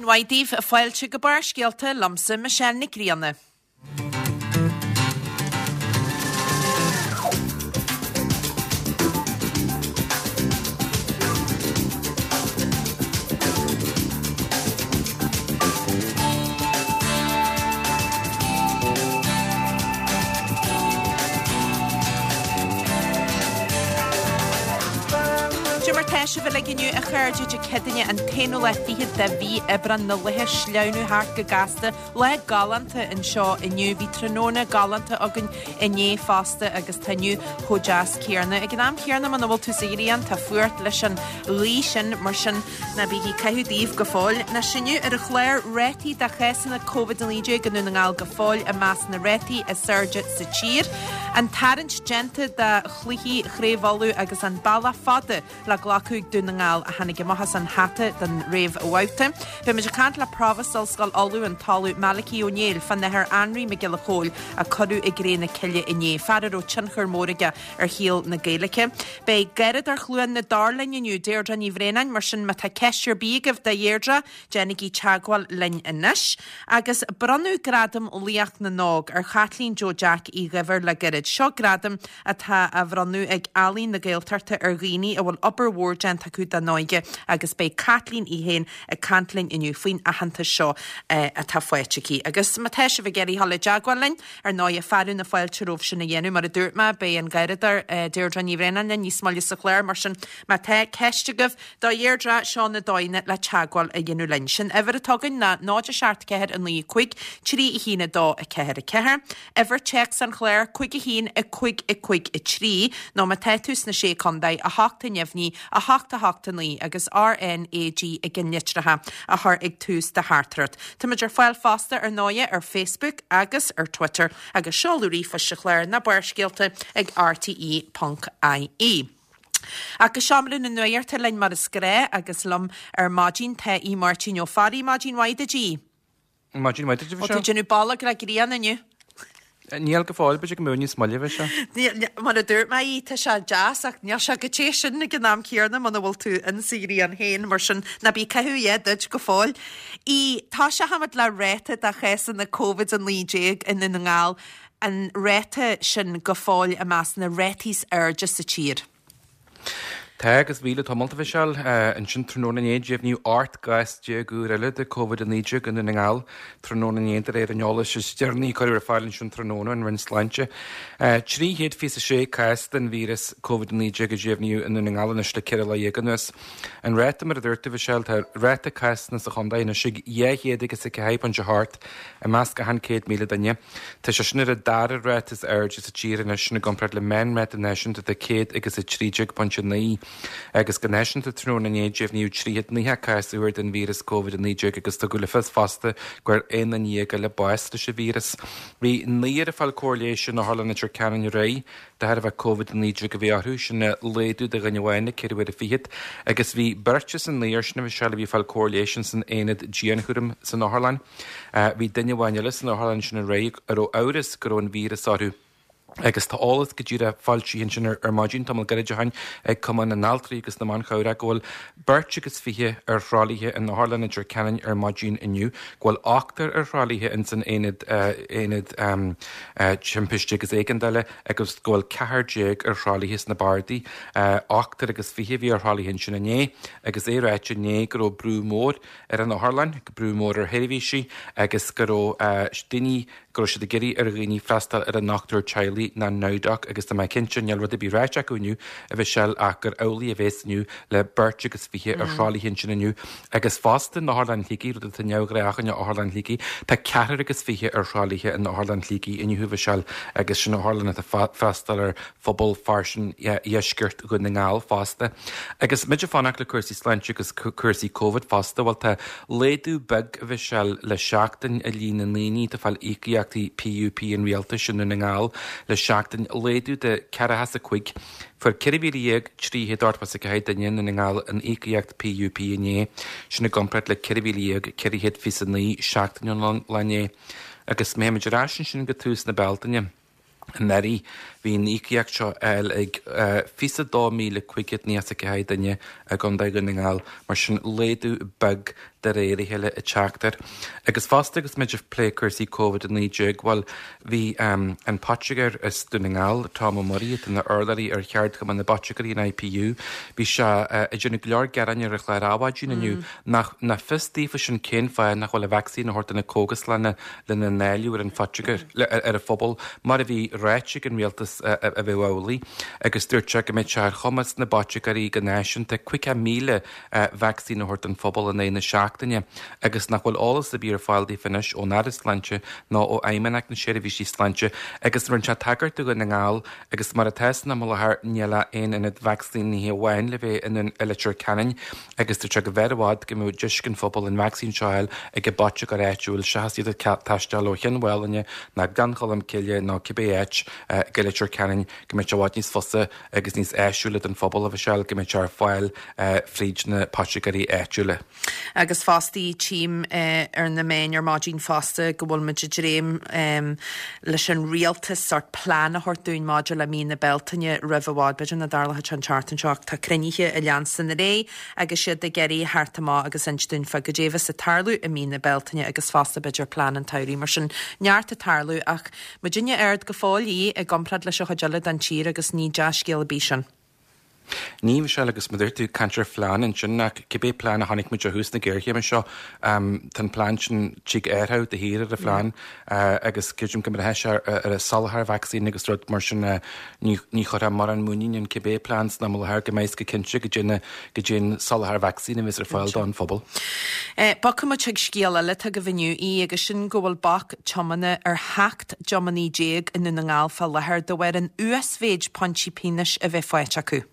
Mhaith daoibh, fáilte go Barrscéalta liomsa Michelle Nic Grianna. Cad é mar tá sibh uilig inniu a chairde Dé Céadaoine an t-aonú lá fichead de mhí Aibreán na laethe ag sleamhnú thart go gasta. Lá galánta anseo inniu. Bhí tráthnóna galánta againn inné fosta agus tá inniu chomh deas céanna. Ag an am céanna muna bhfuil tú sa ghrian tá fuacht leis an ghaoth sin mar sin ná bígí ag caitheamh daoibh go fóill. Anois inniu ar an chlár rátaí de chásanna Covid-19 i nDún na nGall go fóill i measc na rátaí is airde sa tír. An tarraingt déanta do chluichí Chraobh Uladh agus an bealach fada le glacadh ag Dún na nGall a tháinig amach as an hata don réamhbhabhta. Beidh muid ag caint le Provost Ollscoil Uladh, an tOllamh Malachy Ó Néill, fán Athair Anraí Mac Giolla Chóill a cuireadh i gcré na cille inné, fear a raibh tionchar mór aige ar shaol na Gaeilge. Beidh Garradóir Chluain na dTor linn inniu, Deirdre Ní Bhraonáin, mar sin má tá ceist ar bith agaibh do Dheirdre, Déanaigí teagmháil linn anois. Agus bronnadh Gradam Laoch na nÓg ar Chaitlín Joe Jack Uí Dhuibhir le gairid. Seo gradam atá á bhronnadh ag Ealaín na Gaeltachta ar dhaoine a bhfuil obair mhór déanta acu dá n-óige agus beidh Caitlín í féin ag caint linn inniu faoin aitheantas seo atá faighte aici. Agus má tá sibh ag iarraidh dhul i dteagmháil linn, ar ndóighe, fearadh na fáilte romhaibh sin a dhéanamh. Mar a dúirt mé, beidh an Garradóir Deirdre Ní Bhraonáin linn níos moille sa chlár, mar sin má tá ceist agaibh, Do Dheirdre, seo na dóigheanna le teagmháil a dhéanamh linn. Sin uimhir atá againn ná 0 7 4 9 5 3 1 2 4 4. Uimhir téacs an chláir 5 1 5 5 3 nó má tá tú sna Sé Contae, 8 neamhní, 8 8 9 agus RNAG i gceannlitreacha a chur ag tús do theachtaireacht. Táimid ar fáil fosta ar ndóighe ar Facebook agus ar Twitter agus seoladh ríomhphoist an chláir ná Barrscéalta ag rte.ie. Ach go seomra na nuachta linn mar is gnáth agus liom ar maidin tá Aodh Máirtín Ó Fearraigh. Maidin mhaith duit, Aodh. Maidin mhaith duit, a Mhichelle. Tá tú ag déanamh bolg le grian inniu. Níl go fóill, b'fhéidir go mbeidh níos moille, a Mhichelle. Mar a dúirt mé, Aodh, tá sé deas ach níl sé chomh te sin ag an am céanna muna bhfuil tú in sa ghrian féin, mar sin ná bí ag caitheamh a dhath duit go fóill. Aodh, tosóchaimid le ráta de chásanna Covid-19 i nDún na nGall. an ráta sin go fóill i measc na rátaí is airde sa tír. Tá, agus bhí le tamall, a Mhichelle. Ansin tráthnóna inné, deimhníodh 18 gcás úr eile de Covid-19 i Ndún na nGall tráthnóna inné, de réir an eolais is deireanaí a cuireadh ar fáil ansin tráthnóna ón Roinn Sláinte. 326 cás den víreas Covid-19 a deimhníodh i nDún na nGall anois le 14 lá anuas. An ráta, mar a dúirt tú, a Mhichelle, tá ráta cásanna sa chontae anois ag 204.8 i measc achan 100,000 duine. Tá sé sin ar an dara ráta is airde sa tír anois, sin i gcomparáid le meánráta náisiúnta de 113.9. Agus go náisiúnta tráthnóna inné deimhníodh 390 cás úr den víreas Covid-19 agus tugadh le fios fosta go bhfuair 11 duine eile bás leis an víreas. Bhí naonúr ag fáil cóir leighis in Otharlann Leitir Ceanainn aréir de thairbhe Covid-19 a bhí orthu, sin laghdú de dhuine amháin le ceithre huaire fichead, agus bhí beirt as an naonúr sin a Mhichelle a bhí ag fáil cóir leighis ins an aonad dianchúraim san otharlann. Bhí duine amháin eile san otharlann sin aréir a raibh amhras go raibh an víreas orthu. Agus tá eolas go díreach foilsithe ansin ar maidin, tamall gairid ó shin, ag Cumann na nAltraí agus na mBan Chabhrach go bhfuil beirt agus 20 ar thralaithe in Otharlann Leitir Ceanainn ar maidin inniu, go bhfuil ochtar ar thralaithe ins an aonad aonad timpiste agus éigeandála agus go bhfuil 14 ar thralaithe sna bardaí. Ochtar agus 20 a bhí ar thralaithe ansin inné agus é ráite inné go raibh brú mór ar an otharlann, brú mór ar sheirbhísí agus go raibh daoine, go raibh siad ag iarraidh ar dhaoine freastal ar a ndochtúir teaghlaigh ná NowDoc agus tá mé cinnte, níl rud ar bith ráite acu inniu, a Mhichelle, ach gur amhlaidh a bhéas inniu le beirt agus 20 ar thralaithe ansin inniu agus fosta in Otharlann Shligigh, rud atá neamhghnách in Otharlann Shligigh, tá ceathrar agus 20 ar thralaithe in Otharlann Shligigh inniu, a Mhichelle, agus sin otharlann atá ag freastal ar phobal fairsing dheisceart Dhún na nGall fosta. Agus muid ag fanacht le cúrsaí sláinte agus cúrsaí Covid fosta, bhuel tá laghdú beag, a Mhichelle, le seachtain i líon na ndaoine atá ag fáil íocaíochtaí PUP an rialtais i nDún na nGall le seachtain, laghdú de ceathracha is a cuig. Fuair 14,384 duine i Ndún na nGall an íocaíocht PUP inné, sin i gcomparáid le 14,429 seachtain ón lá inné. Agus má théimid ar ais ansin go tús na Bealtaine, Anuraidh, bhí an íocaíocht seo á fháil ag 22,594 duine i gContae Dhún na nGall, mar sin laghdú beag. De réir a chéile ag teacht air. Agus fosta agus muid ag plé cúrsaí Covid-19, bhuel, bhí an poitigéir as Dún na nGall, Tom Ó Muirí, atá ina urlabhraí ar Cheardchumann na bPoitigéirí, an IPU, bhí sé ag déanamh go leor gearáin ar an chlár Adhmhaidin inniu nach nach fios daofa sin cén fáth nach bhfuil an vacsaín á thabhairt do na cógaslanna lena ndáileadh ar an phoitigéir, ar an phobal, mar a bhí ráite ag an rialtas a bheadh amhlaidh. Agus dúirt sé go mbeadh sé ar chumas na bpoitigéirí go náisiúnta 50,000 vacsaín a thabhairt don phobal in aghaidh na seachtaine agus nach bhfuil eolas ar bith ar fáil daofa anois ón Aire Sláinte ná ó Fheidhmeannacht na Seirbhísí Sláinte agus rinne sé tagairt do Dhún na nGall agus mar atá san am i láthair níl ach aon ionad vacsaínithe amháin le bheith i Leitir Ceanainn agus dúirt sé go mb'fhearr i bhfad go mbeadh deis ag an phobal an vacsaín seo a fháil ag an bpoitigéir áitiúil seachas iad ag taisteal ó Chionn Mhálanna ná Gleann Cholm Cille nó cibé áit go Leitir Ceanainn go mbeadh sé i bhfad níos fusa agus níos áisiúla don phobal, a Mhichelle, go mbeadh sé ar fáil fríd na poitigéirí áitiúla. Agus fosta tchím ar na meáin ar maidin fosta go bhfuil muid ag dréim leis an rialtas sórt plean a thabhairt dúinn maidir le mí na Bealtaine roimh i bhfad. B'fhéidir nach dtarlóidh sé an tseachtain seo ach tá cruinnithe ag leanstan ar aghaidh agus iad ag iarraidh theacht amach agus inse dúinn fá goidé a bheas ag tarlú i mí na Bealtaine agus fosta b'fhéidir plean an tsamhraidh. Mar sin neart ag tarlú ach Muidinne ard go fóill í i gcomparáid leis an chuid eile den tír agus ní dea-scéal ar bith sin. Ní, Michelle, agus mar a dúirt tú, caint ar phlean ansin, ach cibé plean a chonaic muid ó thús na géarchéime seo, tá an plean sin, tig athrú de shíor ar an phlean agus creidim go mbraitheann sé ar an soláthar vacsaín agus rud mar sin, ní chuirfeá mórán muinín in cibé plean san am i láthair go mbeidh go cinnte go dtí go dtí an soláthar vacsaín a bheas ar fáil don phobal. Bogfaidh muid chuig scéal eile atá agaibh inniu í agus sin go bhfuil bac tiomána ar 17 dtiománaí i nDún na nGall fá láthair de bharr an uasmhéid pointí pionóis a bheith faighte acu.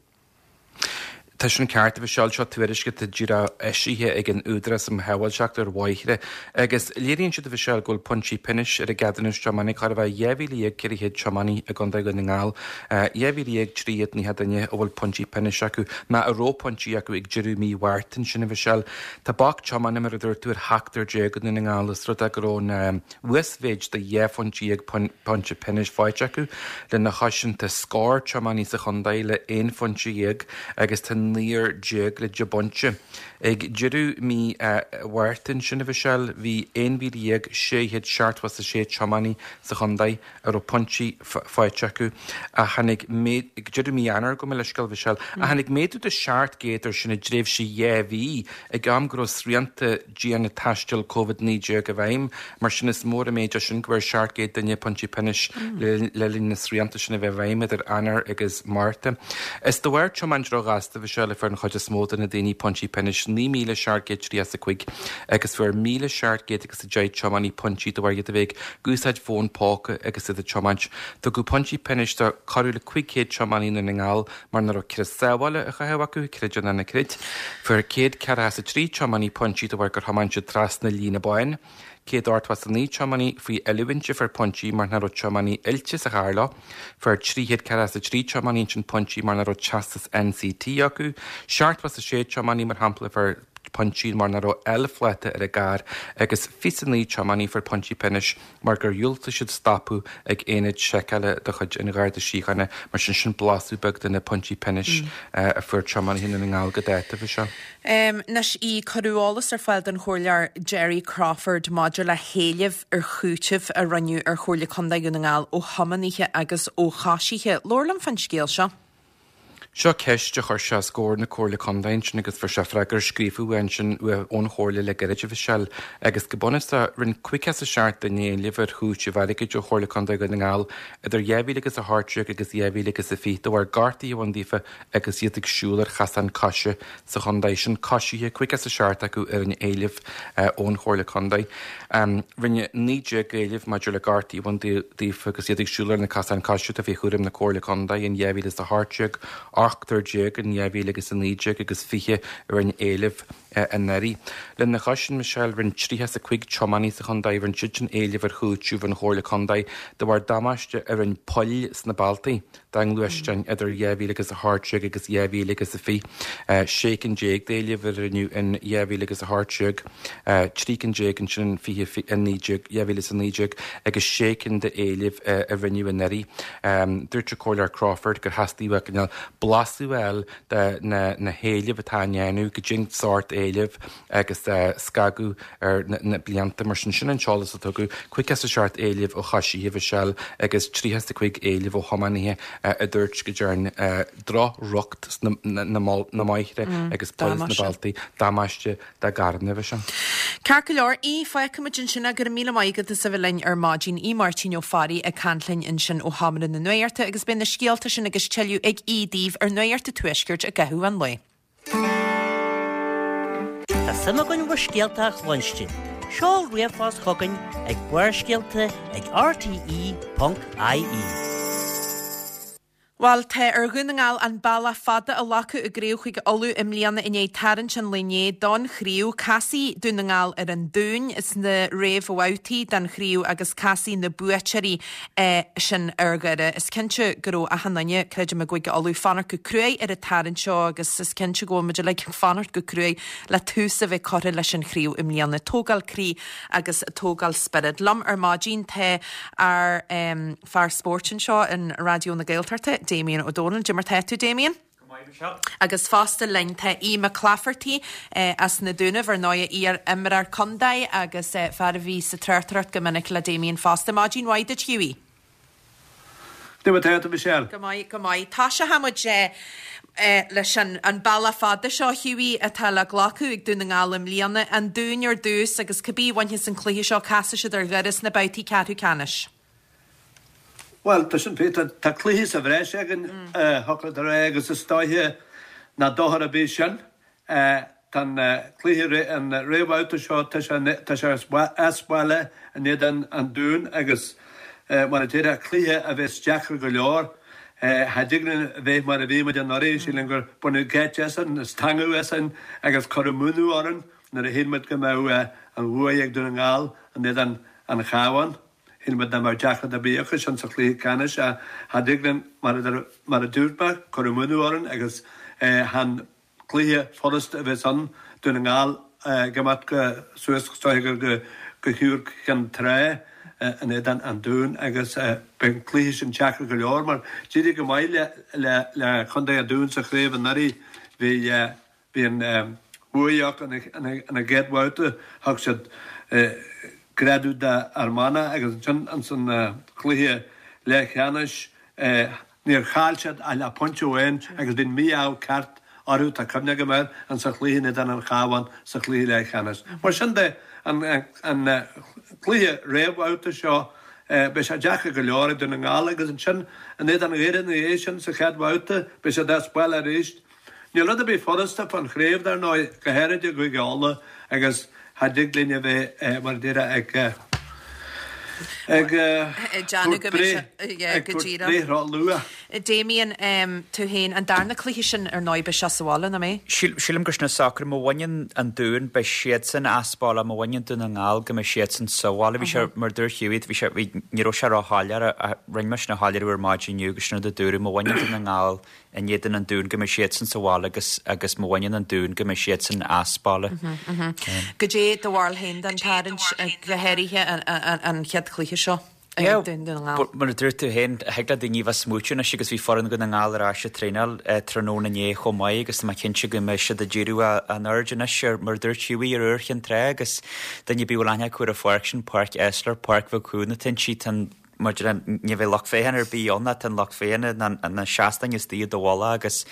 Tá sin ceart, a Mhichelle, seo tuairisc atá díreach eisithe ag an Údarás um Shábháilteacht ar Bhóithre agus léiríonn siad, a Mhichelle, go bhfuil pointí pionóis ar a gceadúnas tiomána chóir a bheith 12,400 tiománaí i gContae Dhún na nGall, 12,390 duine a bhfuil pointí pionóis acu, nó a raibh pointí acu ag deireadh mí Mhárta ansin, a Mhichelle. Tá bac tiomána, mar a dúirt tú, ar sheachtar déag i nDún na nGall, os rud é go raibh an uasmhéid de 12 phointe pointe pionóis faighte acu. Lena chois sin tá scór tiománaí sa chontae le 11 phointe agus tá naonúr le deich bpointe. Ag deireadh mí Mhárta ansin, a Mhichelle, bhí 11,676 tiománaí sa chontae. a raibh pointí faighte acu, ach tháinig méadú, ag deireadh mí Eanáir, gabh mo leithscéal, a Mhichelle, ach tháinig méadú de 700 air sin i dtréimhse 2 mhí, ag am go raibh srianta diana taistil Covid-19 i bhfeidhm. Mar sin, is mór an méid é sin go bhfuair 700 duine pointí pionóis le linn na srianta sin a bheith i bhfeidhm idir Eanáir agus Márta. Is de bharr tiomáint róghasta, a Mhichelle, a fuair an chuid is mó de na daoine pointí pionóis, 9,735, agus fuair 1,700 agus 10 tiománaí pointí de bharr iad a bheith ag úsáid fón póca agus iad ag tiomáint. Tugadh pointí pionóis do corradh le 500 tiománaí i nDún na nGall mar nach raibh crios sábhála á chaitheamh acu, creid é nó ná creid. Fuair 143 tiománaí pointí de bharr gur thiomáin siad trasna líne bán. 189 tiománaí faoi oiliúint a fuair pointí mar nach raibh tiománaí oilte sa charr leo. Fuair 343 tiománaí ansin pointí mar nach raibh teastas NCT acu. 76 tiománaí, mar shampla, a fuair pointí mar nach raibh L-phláta ar a gcarr agus 29 tiománaí a fuair pointí pionóis mar gur dhiúltaigh siad stopadh ag aonad seiceála de chuid an Gharda Síochána. Mar sin, sin blaiseadh beag de na pointí pionóis a fuair tiománaithe i nDún na nGall go dáta, a Mhichelle. Anois, cuireadh eolas ar fáil don Chomhairleoir Gerry Crawford maidir le héilimh ar chúiteamh a rinneadh ar Chomhairle Contae Dhún na nGall ó thiománaithe agus ó choisithe. Labhair liom fán scéal seo. Seo ceist a chuir sé os comhair na Comhairle Contae ansin agus fuair sé freagra scríofa uaidh ansin ón Chomhairle le gairid, a Mhichelle, agus go bunúsach rinne 57 duine éileamh ar chúiteamh airgid ó Chomhairle Contae Dhún na nGall idir 2018 agus 2020 de bharr gortuithe a bhain daofa agus iad ag siúl ar chasán coise sa chontae. Sin coisithe, 57 acu a rinne éileamh ón Chomhairle Contae. Rinne 19 éileamh maidir le gortuithe a bhain daofa agus iad ag siúl ar na casáin coise atá faoi chúram na Comhairle Contae in 2018, ochtar déag in 2019 agus 20 a rinne éileamh anuraidh. Lena chois sin, Michelle, rinne 35 tiománaí sa chontae, rinne siad sin éileamh ar chúiteamh ón Chomhairle Contae de bharr damáiste a rinne poill sna bealtaí. dá ngluaisteáin idir 2018 agus 2020, 16 cinn d'éilimh a rinneadh in 2018, 13 cinn ansin in 2019 agus 6 cinn d'éilimh a rinneadh anuraidh. Dúirt an Comhairleoir Crawford gur theastaigh uaidh cineál blaiseadh a fháil de na héilimh atá á ndéanamh, goidé an sórt éileamh. éileamh agus scagadh ar na blianta. Mar sin, sin an t-eolas a tugadh, 57 éileamh ó choisithe, a Mhichelle, agus 35 éileamh ó thiománaithe a dúirt go dtearn droch-riocht sna na mbóithre agus poill sna bealtaí, damáiste dá gcarranna, a Mhichelle. Ceart go leor, Aodh, fágfaimid ansin é. Go raibh míle maith agat as a bheith linn ar maidin. Aodh Máirtín Ó Fearraigh ag caint linn ansin ó Sheomra na Nuachta agus beidh na scéalta sin agus tuilleadh ag Aodh daoibh ar Nuacht an Tuaiscirt i gcaitheamh an lae. Tá suim againn bhur scéalta a chluinstin. Seol ríomhphost chugainn ag Barrscéalta ag rte.ie. Bhuel, tá ar Dhún na nGall an bealach fada a ghlacadh i gCraobh Chúige Uladh i mbliana i ndiaidh tarraingt an lae inné don chraobh. Casfaidh Dún na nGall ar an Dún sna réamhbhabhtaí den chraobh agus casfaidh na buaiteoirí sin ar Dhoire. Is cinnte go raibh achan duine, creidim, i gCúige Uladh, fanacht go cruaidh ar an tarraingt seo agus is cinnte go bhfuil muid uilig ag fanacht go cruaidh le tús a bheith curtha leis an chraobh i mbliana. Tógáil croí agus tógáil spioraid. Liom ar maidin tá ár. Fear spóirt anseo in Raidió na Gaeltachta, Damien Ó Dónaill. Cad é mar tá tú, Damien? Go maith, Michelle. Agus fosta linn tá Aodh Mac Laifeartaigh as na Dúnaibh, ar ndóigh, iar-imreoir contae agus fear a bhí sa tráchtaireacht go minic le Damien fosta. Maidin mhaith duit, Hughie. Cad é mar tá tú, Michelle? Go maith, go maith. Tosóidh muid leis an bealach fada seo, Hughie, atá le glacadh ag Dún na nGall i mbliana. An Dún ar dtús agus cibé a bhainfeas an cluiche seo, casfaidh siad ar Dhoire sna babhtaí ceathrú ceannais. Bhuel, tá sin fíor. Tá cluiche sa bhreis againn, thiocfadh leat a rá, agus is dóiche nach dochar ar bith sin. Tá an cluiche, an réamhbhabhta seo, tá sé, tá sé as baile in éadan an Dúin agus mar a déarfá, cluiche a bheas deacair go leor. Cha dtig linn a bheith mar a bhí muid anuraidh, sílim gur baineadh geit asainn, stangadh asainn agus cuireadh múineadh orainn nuair a shíl muid go mbeadh an bhuaidh ag Dún na nGall in éadan an Chabháin. Shíl muid nach mbeadh deacracht ar bith acu sin sa chluiche ceannais ach cha dtig linn, mar a dúirt mé, cuireadh múineadh orainn agus chan cluiche furasta a bheas ann, Dún na nGall ag imeacht suas is dóiche gur go hIúr Chinn Trá in éadan an Dúin agus beidh an cluiche sin deacair go leor mar d'éirigh go maith le Contae an Dúin sa chraobh anuraidh. Bhí Bhí an bhuaidh acu ina gcéad bhabhta, thug siad greadadh d'Fhear Manach agus ansin ins an chluiche leathcheannais níor chaill siad ach le pointe amháin agus bhí an mí-ádh ceart orthu, tá cuimhne agam air, ins an chluiche in éadan an Chabháin sa chluiche leathcheannais. Mar sin de, an cluiche réamhbhabhta seo, beidh sé deacair go leor ag Dún na nGall agus ansin in éadan Dhoire ina dhiaidh sin sa chéad bhabhta, beidh siad as baile arís. Níl rud ar bith furasta fán chraobh, dar ndóigh, go háirid i gCúige Uladh agus cha dtig linn a bheith, mar a déarfá, ag ag tabhairt breith ag tabhairt breith ró-luath. Damien, tú féin, an darna cluiche sin, ar ndóigh, beidh sé sa bhaile, nach mbeidh? Sílim gur sin an socrú. Má bhaineann an Dún, beidh siadsan as baile, má bhaineann Dún na nGall, go mbeidh siadsan sa bhaile. Bhí sé, mar a dúirt Hughie, bhí sé, bhí, ní raibh sé ró-shoiléir ach rinne mise an shoiléiriú ar maidin inniu agus sin rud a dúradh, má bhaineann Dún na nGall in éadan an Dúin go mbeidh siadsan sa bhaile agus agus má bhaineann an Dún go mbeidh siadsan as baile. Goidé do bharúil féin den tarraingt, go háirithe an chéad chluiche seo ag Dún na nGall? Mar a dúirt tú féin, thig le daoine a bheith ag smaoitiú anois agus bhí foireann Dhún na nGall ar ais ag traenáil tráthnóna inné chomh maith agus tá mé cinnte go mbeidh siad ag díriú a n-aird anois ar, mar a dúirt Hughie, ar Iúr Chinn Trá agus duine ar bith a bhfuil aithne acu ar an pháirc sin, Páirc Esler, Páirc bheag chúin atá inti, tá an Mar a déarfá, ní bheidh lucht féachana ar bith ann, tá an lucht féachana ná na seastáin istigh i do mhullach agus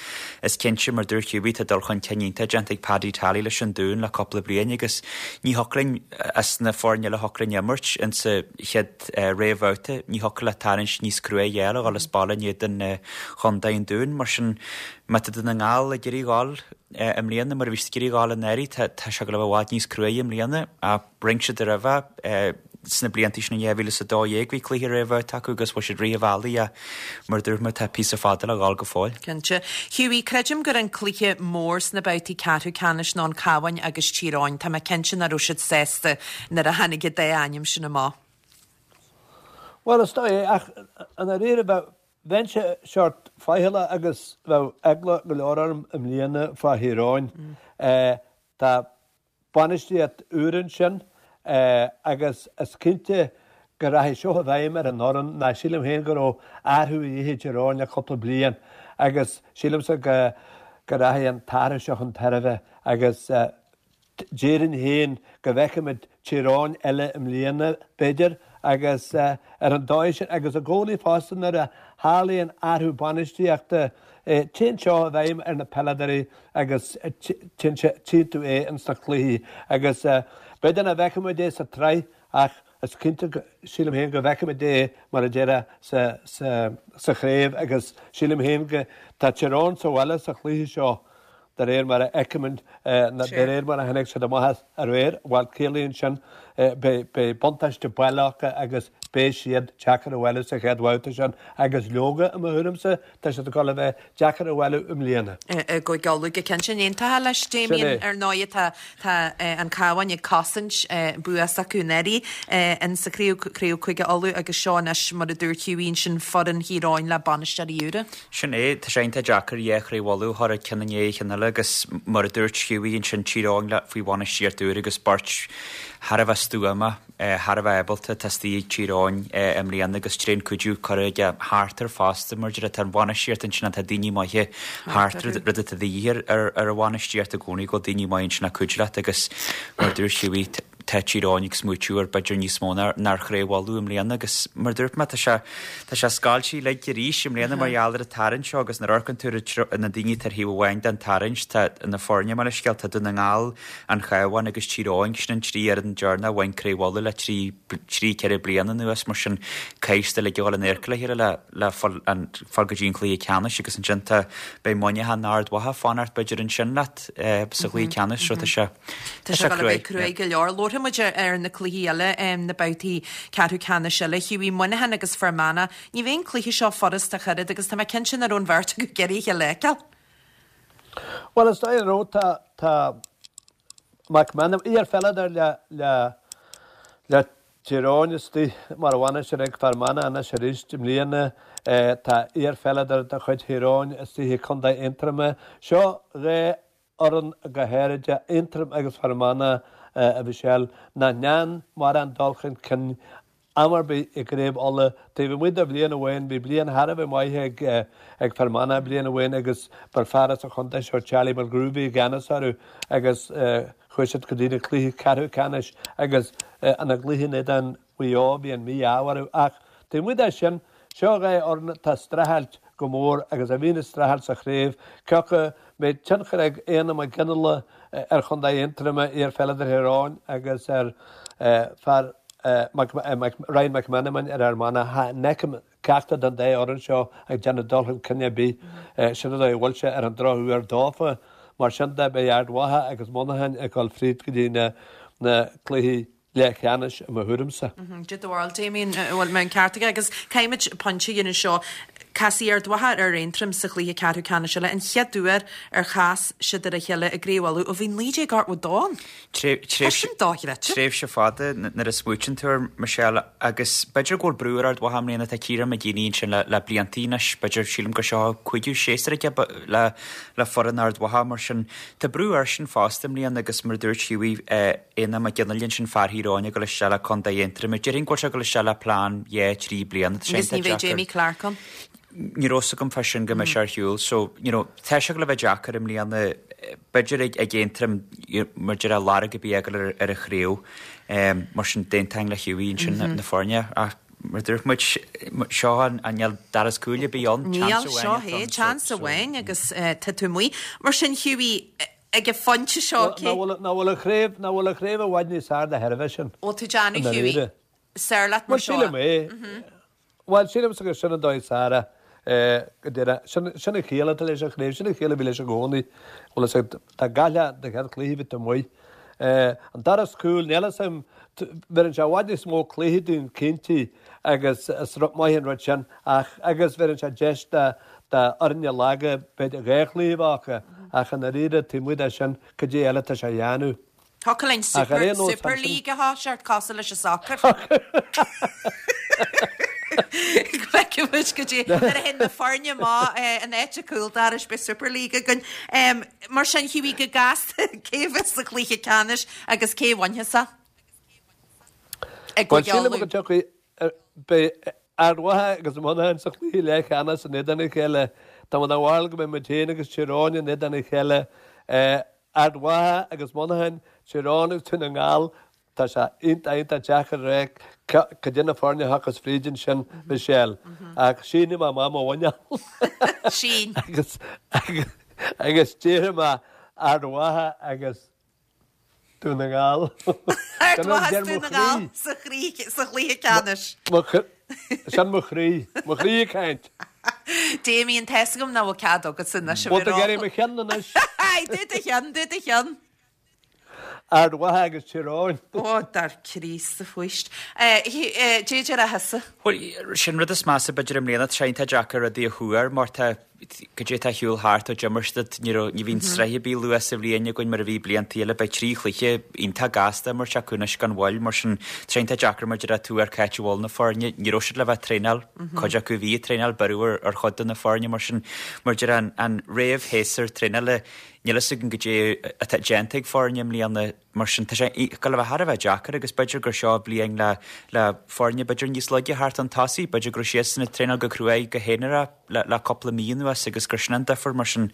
is cinnte, mar dúirt Hughie, tá dul chun cinn iontach déanta ag Paddy Tally leis an Dún le cúpla bliain agus ní thiocfadh linn, as na foirne eile a thiocfadh linn imirt insa chéad réamhbhabhta, ní thiocfadh le tarraingt níos cruaidhe a fháil a dhul as baile in éadan chontae an Dúin. Mar sin, má tá Dún na nGall ag iarraidh dhul i mbliana mar a bhí siad ag iarraidh dhul anuraidh, tá sé ag dul a bheith i bhfad níos cruaidhe i mbliana ach rinne siad roimhe sna blianta sin in 2012 bhí cluiche réamhbhabhta acu agus bhain siad rith an bhealaigh ach mar a dúirt mé tá píosa fada le dhul go fóill. Cinnte. Hughie, creidim gur an cluiche mór sna babhtaí ceathrú ceannais ná an Cabhán agus Tír Eoghain. Tá mé cinnte nach raibh siad sásta nuair a tháinig an dá ainm sin amach. Bhuel, is dóigh é, ach i ndáiríre bheadh Bheinnse seort faichilleach agus bheadh eagla go leor orm i mbliana fá Thír Eoghain. Tá bainistíocht úr ansin agus is cinnte go rachaidh seo i bhfeidhm ar an fhoireann ná sílim féin go raibh athrú a dhíth ag Tír Eoghain le cúpla bliain agus sílimse go go rachaidh an t-athrú seo chun tairbhe agus. Déarfainn féin go bhfeicfimid Tír Eoghain eile i mbliana, b'fhéidir, agus ar an dóigh sin, agus i gcónaí fosta nuair a tharlaíonn athrú bainistíochta, téann seo i bhfeidhm ar na peileadóirí agus téann sé, tchíonn tú é ins na cluichí. Agus b'fhéidir nach bhfeicfimid é sa tsraith ach is cinnte, sílim féin, go bhfeicfimid é, mar a déarfá, sa, sa, sa chraobh agus sílim féin go, tá Tír Eoghain sa bhaile sa chluiche seo. De réir mar a fheicimid, de réir mar a tháinig siad amach aréir, bhuel, ciallaíonn sin, beidh buntáiste baile acu agus beidh siad deacair a bhualadh sa chéad bhabhta sin agus leoga, i mo thuairimse, tá siad ag dul a bheith deacair a bhualadh i mbliana. I gCúige Uladh go cinnte. Aontófá leis, Damien, ar ndóigh, tá Tá an Cabhán ag cosaint bua s'acu anuraidh in sa chraobh, Craobh Chúige Uladh agus seo anois, mar a dúirt Hughie ansin, foireann Thír Eoghain le bainisteoirí úra. Sin é, tá sé iontach deacair dhá Chraobh Uladh a chur ceann i ndiaidh an chinn eile agus mar a dúirt Hughie ansin, Tír Eoghain le faoi bhainistíocht úr agus beirt thar a bheith stuama. thar a bheith ábalta atá istigh ag Tír Eoghain i mbliana agus tréan cuidiú curtha aige thart air fosta mar deir tá an bhainistíocht ansin tá daoine maithe thart rud atá de dhíth ar ar an bhainistíocht i gcónaí go bhfuil daoine maithe ansin ag cuidiú leat agus mar dúirt Hughie tá Tír Eoghain ag smaoitiú ar b'fhéidir níos mó ná ar Chraobh Uladh i mbliana agus mar dúirt mé tá sé tá sé scoilte uilig arís i mbliana mar gheall ar an tarraingt seo agus nuair a amharcann tú ar na daoine atá ar thaobh amháin den tarraingt tá na foirne mar is scéal tá Dún na nGall An Chabhán agus Tír Eoghain, sin an trí fhoireann deireanach a bhain Craobh Uladh le trí, ceithre bliana anuas, mar sin caithfidh siad uilig a dhul in adharca le chéile le, le fáil, fáil go dtí an cluiche ceannais agus ansin tá, beidh Muineachán nó Ard Mhacha ag fanacht b'fhéidir ansin leat sa chluiche ceannais so tá sé, tá sé cruaidh. Cruaidh go leor. Labharfaidh muid ar na cluichí eile, na babhtaí ceathrú ceannais eile. Hughie, Muineachán agus Fear Manach. Ní bheidh an cluiche seo furast ach oiread agus tá mé cinnte nach raibh an bheirt acu ag iarraidh a chéile a fheiceáil. Bhuel, is dóigh an raibh, tá, tá McMenamin, iar-pheileadóir le, le, le Tír Eoghain istigh mar bhainisteoir ag Fear Manach anois arís i mbliana. Tá iar-pheileadóir de chuid Thír Eoghain istigh ag Contae Aontroma. Seo dhá fhoireann go háirid, Aontroim agus Fear Manach, a Mhichelle, nach ndearna mórán dul chun cinn am ar bith i gCraobh Uladh. Taobh amuigh de bhliain amháin, bhí bliain thar a bheith maith ag ag Fear Manach bliain amháin agus ba fear as an chontae seo, Charlie Mulgrew, bhí i gceannas orthu agus chuaigh siad go dtí na cluichí ceathrú ceannais agus ina gcluiche in éadan Mhaigh Eo bhí an mí-ádh orthu. Ach taobh amuigh de sin, seo dhá fhoireann atá ag streachailt go mór agus a bhíonn ag streachailt sa chraobh. Cé acu an mbeidh tionchar ag Éanna Mac Fhionnghaile ar Chontae Aontroma, iar-pheileadóir Thír Eoghain agus ar fear Ryan McMenamin ar Fhear Manach. Cha fheicim ceachtar den dá fhoireann seo ag déanamh dul chun cinn ar bith. Sin an dóigh a bhfuil sé ar an drochuair dófa. Mar sin de, beidh Ard Mhacha agus Muineachán ag dul fríd go dtí na cluichí leathcheannais i mo thuairimse. Cad é do bharúil, Damien, an bhfuil mé an ceart aige? Agus caithfimid pointe a dhéanamh anseo. Casfaidh Ard Mhacha ar Aontroim sa chluiche ceathrú ceannais eile, an chéad uair ar chas siad ar a chéile i gCraobh Uladh ó bhí 1982 ann. Tá sin dochreidte. Tréimhse fada nuair a smaoitíonn tú air, Michelle, agus b'fhéidir go bhfuil brú ar Ard Mhacha i mbliana, tá Ciarán McGeeney ansin le le bliantaí anois, b'fhéidir, sílim gur seo a cúigiú séasúr aige le le foireann Ard Mhacha, mar sin tá brú airsean fosta i mbliana agus mar a dúirt Hughie, Éanna Mac Fhionnghaile ansin fear Thír Eoghain ag dul isteach le Contae Aontroim. Déarfainn go bhfuil sé ag dul isteach le plean dhá, trí bliana. Tá sé Agus ní bheidh Jamie Clarke ann. Ní raibh fhios agam fá sin go mbeidh sé ar shiúl. So, you know, tá sé ag dul a bheith deacair i mbliana, b'fhéidir ag ag Aontroim mar deir lorg ar bith a fháil ar ar an chraobh. Mar sin d'aontóinn le Hughie ansin na foirne. Ach mar a dúirt muid, seo an níl doras cúil ar bith ann, Níl, chance seo amháin é, atá ann. chance amháin agus tá tú amuigh. Mar sin Hughie, ag an phointe seo, cé. Nach bhfuil an chraobh, nach bhfuil an chraobh i bhfad níos fearr de thairbhe sin? Bhfuil tú ag déanamh, Hughie? Saor leat mar seo. Bhuel, sílim é. Bhuel, sílimse gur sin an dóigh is fearr é, go díreach. Sin, sin an chiall atá leis an chraobh, sin an chiall a bhí leis i gcónaí. Bhfuil fhios agat, dá gcaillfeá do chéad chluiche bhí tú amuigh. An doras cúil, níl fhios a'm, bheireann sé i bhfad níos mó cluichí dúinn cinnte agus is rud maith an rud sin ach, agus bheireann sé deis do, do fhoirne laga b'fhéidir dhá chluiche a bheith acu ach i ndáiríre taobh amuigh de sin, cad é eile atá sé a dhéanamh? Thiocfadh linn Ach ar aon nós, Super League a thoiseacht cosúil leis an soccer. Go bhfeicfidh muid go dtí nuair a théann na foirne amach in áit an chúl dorais beidh Super League againn. Mar sin Hughie go gasta cé a bheas sa chluiche ceannais agus cé a bhainfeas é? I Bhuel, gCúige sílim go Uladh. dtiocfaidh, beidh Ard Mhacha agus Muineachán sa chluiche leathcheannais in éadan a chéile. Tá mé den bharúil go mbeidh muid féin agus Tír Eoghain in éadan a chéile. Ard Mhacha agus Muineachán. Tír Eoghain agus Dún na nGall, tá sé iontach, iontach deacair a rá cad é na foirne a thiocfas fríd ansin, Michelle. Ach sínfidh mé amach mo mhuineál. Sín. Agus, agus déarfaidh mé Ard Mhacha agus Dún na nGall. Ard Mhacha is Dún na nGall sa chluiche ceannais. Sin mo chroí. Mo chroí ag caint. Damien, tá fhios agam nach bhfuil cead agatsa anois a bheith ró. Bhfuil tú ag iarraidh mo cheann anois? Do do cheann, do do cheann. Ard Mhacha agus Tír Eoghain. Ó, dar Críost a fuist. Dé déarfá thusa. Bhuel, sin rud is measa b'fhéidir i mbliana, tá sé iontach deacair rudaí a thuar mar tá Cad é atá ar shiúl thart ó d'imir siad, ní raibh, ní bhíonn sraith ar bith luath sa bhliain againn mar a bhí blianta eile, beidh 3 chluiche iontach gasta imirt acu anois gan mhoill, mar sin tá sé iontach deacair mar a déarfá tuar cá háit a bhfuil na foirne, ní raibh siad le bheith ag traenáil, cuid acu bhí ag traenáil, beireadh ar chuid de na foirne, mar sin mar a déarfá an, an réamhshéasúr traenála, níl fhios againn cad é atá déanta ag foirne i mbliana. Mar sin, tá sé ag gabháil a bheith thar a bheith deacair agus b'fhéidir gur seo bliain le le foirne b'fhéidir níos laige a theacht chun tosaigh, b'fhéidir go raibh siadsan ag traenáil go cruaidh go haonarach le le cúpla mí anuas agus gur sin an difear. Mar sin,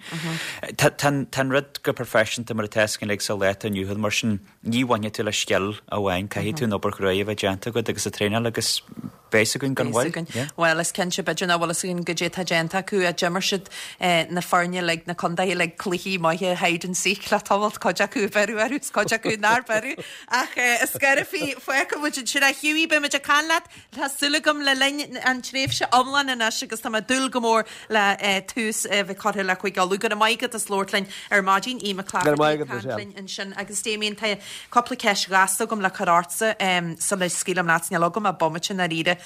tá tá an tá an rud go proifisiúnta mar atá fhios againn uilig sa lá atá inniu ann, mar sin ní bhainfidh tú le scil amháin, caithfidh tú an obair chruaidh a bheith déanta agat agus an traenáil agus Beidh fhios againn gan mhoill. Bhuel, is cinnte, b'fhéidir nach bhfuil fhios againn goidé atá déanta acu ach d'imir siad na foirne uilig, na contaetha uilig cluichí maithe hide and seek le tamalt, cuid acu a beireadh orthu is cuid acu nár beireadh. Ach is scairbhí, fágfaidh muid ansin é. Hughie, beidh muid ag caint leat, tá súil agam, le linn an tréimhse iomlán anois agus tá mé ag dúil go mór le tús a bheith curtha le Cúige Uladh. Go raibh maith agat as labhairt linn ar maidin, Aodh Mac Laifeartaigh ag caint linn ansin agus Damien, tá Cúpla ceist ghasta agam le cur ortsa sula scaoilim leat. Níl agam ach bomaite i ndáiríre.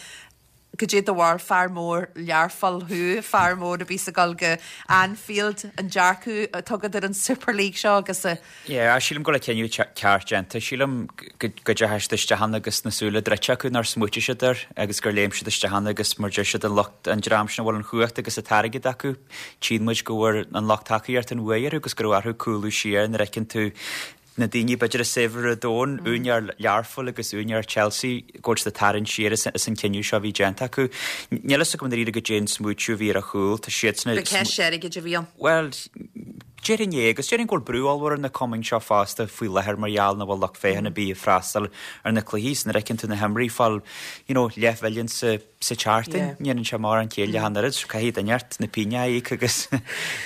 Goidé do bharúil, fear mór Learpholl thú, fear mór a bhíos ag dul go Anfield, an dearcadh atá agat ar an Super League seo agus a. Yeah, sílim go bhfuil an cinneadh ceart déanta. Sílim go ndeachaigh siad isteach ann agus na súile druidte acu nár smaoitigh siad air agus gur léim siad isteach ann agus mar deir siad an lucht, an dream sin a bhfuil an chumhacht agus an t-airgead acu, tchíonn muid go bhfuair an lucht tacaíochta an bhuaidh orthu agus go raibh orthu cúlú siar nuair a fheiceann tú na daoine b'fhéidir is saibhre ar domhan, úinéir Learphoill agus úinéir Chelsea, go bhfuil siad ag tarraingt siar as an cinneadh seo a bhí déanta acu. Níl fhios agam i ndáiríre goidé an smaoitiú a bhí ar a chúl. Tá siadsan ag. Ba ceist airgid a bhí ann. Bhuel, déarfainn é, agus déarfainn go bhfuil brú ollmhór ar na cumainn seo fosta faoi láthair mar gheall nach bhfuil lucht féachana ar bith ag freastal ar na cluichí. Is nuair a fheiceann tú na himreoirí ag fáil, you know, leathmhilliún sa sa tseachtain, ní dhéanann sé mórán céille ach an oiread, so caithfidh duine inteacht na pingine a íoc agus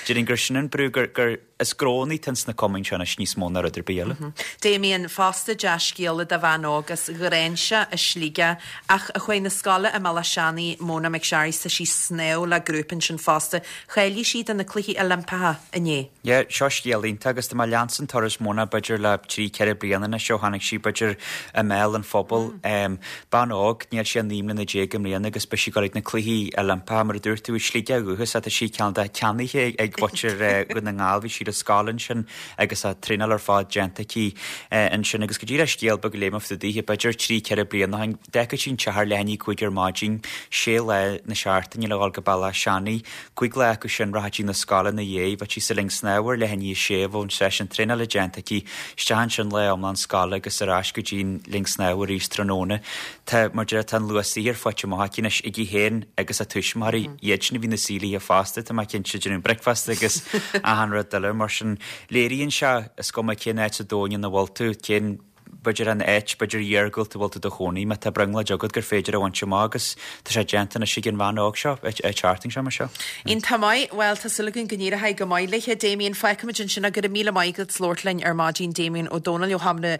déarfainn gur sin an brú gur, gur, Is gnónna atá ins na cumainn seo anois níos mó ná rud ar bith eile. Damien, fosta dea-scéala do bhean óg as Ghráinseach i Sligeach ach a chuaigh 'na scoile i mBealach Seanaidh, Mona McSharry, tá sí ag snámh le grúpa ansin fosta. Cháiligh sí do na Cluichí Oilimpeacha inné. Yeah, seo scéal iontach agus tá mé ag leanstan turas Mona b'fhéidir le trí, ceithre bliana anois ó tháinig sí b'fhéidir i mbéal an phobail. Bean óg, níl sí ach 19 mbliana i mbliana agus beidh sí ag dul ag na Cluichí Oilimpeacha, mar a dúirt tú, i Sligeach ó dhúchas. Tá sí cineál de ceannaithe ag muintir Dhún na nGall, bhí sí ar scoil ansin agus a traenáil ar fad déanta aici ansin. Agus go díreach scéal beag a léigh mé fá dtaobh daoithe, b'fhéidir trí, ceithre bliana ó shin, d'fhágfadh sí an teach ar leath i ndiaidh 5 ar maidin, sé lá na seachtaine le dhul go Bealach Seanaidh. Cúig lá acu sin rachadh sí 'na scoile ina dhiaidh, bheadh sí sa linn snámha ar leath i ndiaidh a sé, bheadh an seisiún traenála déanta aici, isteach ansin lá iomlán scoile agus ar ais go dtí an linn snámha arís tráthnóna. Tá, mar deir, tá an luach saothair faighte amach aici anois, aici féin agus a tuismitheoirí, iad sin a bhí ina suí léithe fosta, tá mé cinnte, ag déanamh bricfeasta agus achan rud eile. Mar sin, léiríonn sé, is cuma cén áit sa domhan ina bhfuil tú, cén, b'fhéidir an áit, b'fhéidir iargúlta a bhfuil tú i do chónaí, má tá brionglóid agat gur féidir a bhaint amach agus tá sé déanta anois ag an bhean óg seo ag teacht anseo mar seo. Iontach maith. Bhuel, tá súil againn go n-éireoidh go maith léithe. Damien, fágfaimid ansin é. Go raibh míle maith agat as labhairt linn ar maidin. Damien Ó Dónaill ó Sheomra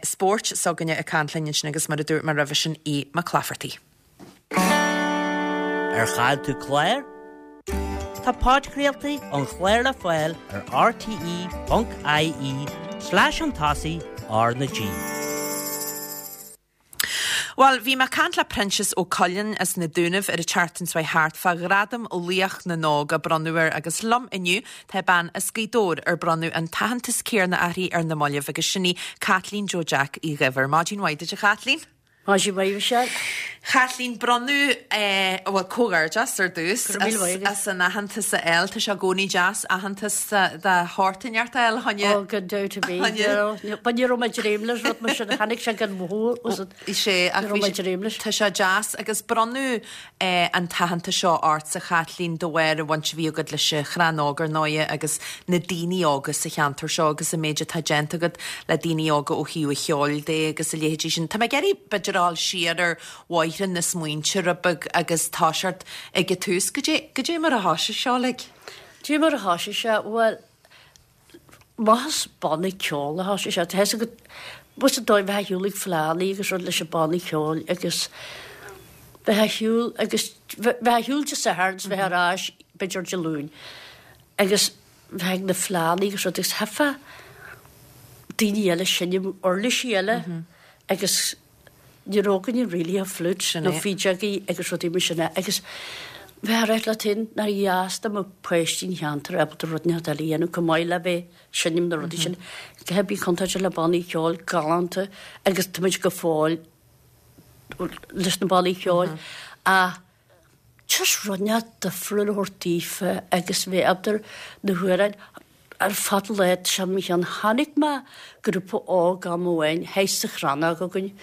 Spóirt s'againne ag caint linn ansin agus mar a dúirt mé roimhe sin, Aodh Mac Laifeartaigh. Ar chaill tú clár? Tá podchraoltaí an chláir le fáil ar rte.ie slash chun tosaigh R na G. Bhuel, bhí mé ag caint le Proinsias Ó Coileáin as na Dúnaibh ar an tseachtain seo thart fá Ghradam Laoch na nÓg a bronnadh air agus liom inniu tá bean as Gaoth Dobhair ar bronnadh an t-aitheantas céanna uirthi ar na mallaibh agus sin í Caitlín Joe Jack Uí Dhuibhir. Maidin mhaith duit a Chaitlín. Maidin mhaith, Michelle. Chaitlín, bronnadh, bhuel, comhghairdeas ar dtús Go raibh míle maith agat. as an aitheantas a fháil. Tá sé i gcónaí deas aitheantas de shórt inteacht a fháil, a choinne. Ó, gan dabht ar bith. Choinne. You know, but ní raibh mé ag dréim leis rud mar sin, tháinig sé gan mhoill, was it? Sé, ach Ní raibh bhí mé ag sé, dréim leis. tá sé deas agus bronnadh an t-aitheantas seo ortsa, a Chaitlín, de bharr an bhaint a bhí agat leis an Chrannóg ar ndóighe agus na daoine óga sa cheantar seo agus an méid atá déanta agat le daoine óga ó thaobh an cheoil de agus a leithéidí sin. Tá mé ag iarraidh b'fhéidir a dhul siar ar bhóithre na smaointe rud beag agus toiseacht ag an tús. Goidé, goidé mar a thoisigh seo uilig? Goidé mar a thoisigh sé? Bhuel, amach as banna ceoil a thoisigh sé. Tá fhios agat, bhfuil fhios agat dóibh bheith ar shiúl ag fleánna agus rud leis an banna ceoil agus bheith ar shiúl agus bheith ar shiúl Dé Sathairn is bheith ar ais b'fhéidir Dé Luain agus bheith ag na fleánna agus rud agus theifeadh daoine eile seinm uirlisí eile agus Ní raibh againne really ach flute nó fídeogaí agus rudaí mar sin agus bheith ag rá leat féin nár dheas dá mbeadh páistí an cheantair ábalta rud inteacht eile a dhéanamh chomh maith le bheith ag seinm na rudaí sin. Go bhí contráilte le bannaí ceoil galánta agus tá muid go fóill leis na bannaí ceoil ach just rud inteacht difriúil a thabhairt daofa agus bheith ábalta na hamhráin ar fad lá tá sé mo cheann. Chonaic mé grúpa óg am amháin thíos sa Chrannóg againn,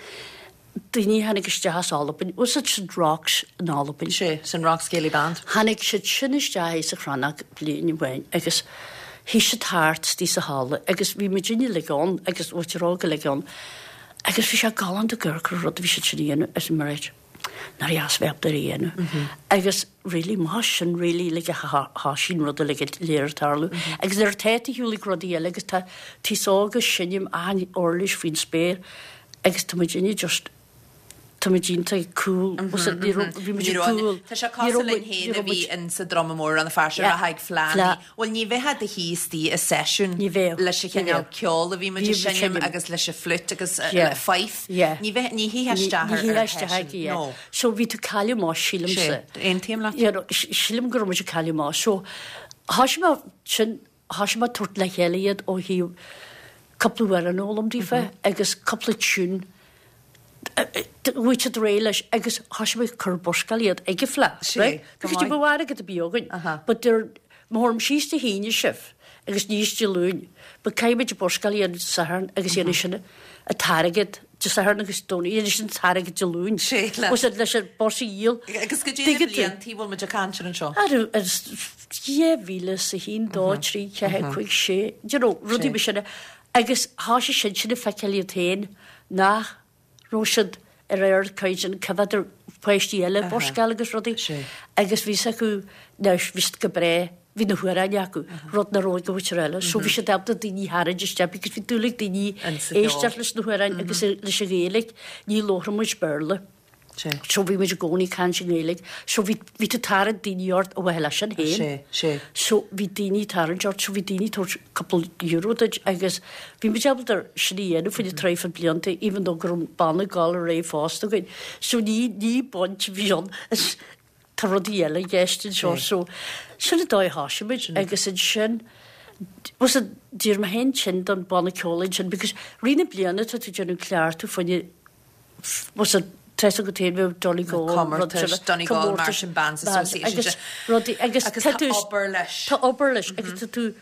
daoine a tháinig isteach as Albain, was it St Roch's in Albain? Sé, St Roch's Ceilidh Band. Tháinig siad sin isteach thíos sa Chrannóg bliain amháin agus shuigh siad thart istigh sa halla agus bhí muidinne uilig ann agus muintir óg uilig ann agus bhí sé galánta ag amharc ar an rud a bhí siad sin a dhéanamh arsa mé right. Nár dheas bheith ábalta é a dhéanamh. Agus really má sin really like a thoisigh an rud uilig go léir ag tarlú. Agus nuair atá tú ar shiúl ag rudaí eile agus tá aos óg ag seinm achan uirlis faoin spéir agus tá muidinne just tá muid iontach cool was it ní raibh bhí muid cool. Tá sé cosúil linn féin a bhí in sa Druma Mór an fear seo ag fleánnaí. Bhuel ní bheifeá do shuí istigh i seisiún leis an chineál ceoil a bhí muid ag seinm agus leis an flute agus fife. Ní bheith, ní shuífeá isteach ar ar sheisiún, no. So bhí tú ag cailleadh amach, sílimse. Sé, aontaím leat. You know, sílim go raibh muid ag cailleadh amach. So thoisigh mé sin, thoisigh mé ag tabhairt le chéile iad ó thaobh cúpla amhrán a fhoghlaim daofa agus cúpla tune bhí siad réidh leis agus thoisigh mé ag cur buscáil iad ag an bhFleadh, right? Because ní raibh airgead ar bith againn. But they're, má thabharfaim síos Dé hAoine sibh agus aníos Dé Luain, but caithfidh muid buscáil a dhéanamh Dé Sathairn agus dhéanfaidh sin an t-airgead Dé Sathairn agus Domhnaigh, dhéanfaidh sin an t-airgead Dé Luain. Sé, le. Was it leis an bus a dhíol? Agus goidé na bliantaí bhfuil muid ag caint ar anseo? Ar, ar, 2001, 2, 3, 4, 5, 6, you know, rudaí mar sin. Agus thoisigh siad sin ag feiceáil iad féin nach raibh siad ar ardchaighdeán, c'fhéidir páistí eile ag buscáil agus rudaí agus bhí 'fhios acu, now bhí siad go breá, bhí na hamhráin acu, rud nach raibh ag an mhuintir eile. So bhí siad ábalta daoine a tharraingt isteach because bhí dúil ag daoine éisteacht leis na hamhráin agus leis an Ghaeilge, ní labhraíonn muid Béarla. So bhí muid i gcónaí ag caint i nGaeilge. So bhí, bhí tú ag tarraingt daoine ort ar mhaithe leis sin féin. Sé, sé. So bhí daoine ag tarraingt ort, so bhí daoine ag tabhairt cúpla euro duit agus bhí muid ábalta sin a dhéanamh faoi na traidhfil blianta even though go raibh an banna ag dul ar aghaidh fosta againn. So ní, ní baint a bhí ann. Is tá rudaí eile i gceist anseo. So sin an dóigh a thoisigh muid agus ansin was it, d'éirigh mé féin tinn don bhanna ceoil ansin because rith na bliana tá tú ag déanamh cleachtadh fá choinne was it tá 'fhios agat féin bheadh Donegal Comórtais, Donegal Marching Bands Association agus rudaí agus agus tá obair leis. Tá obair leis agus tá tú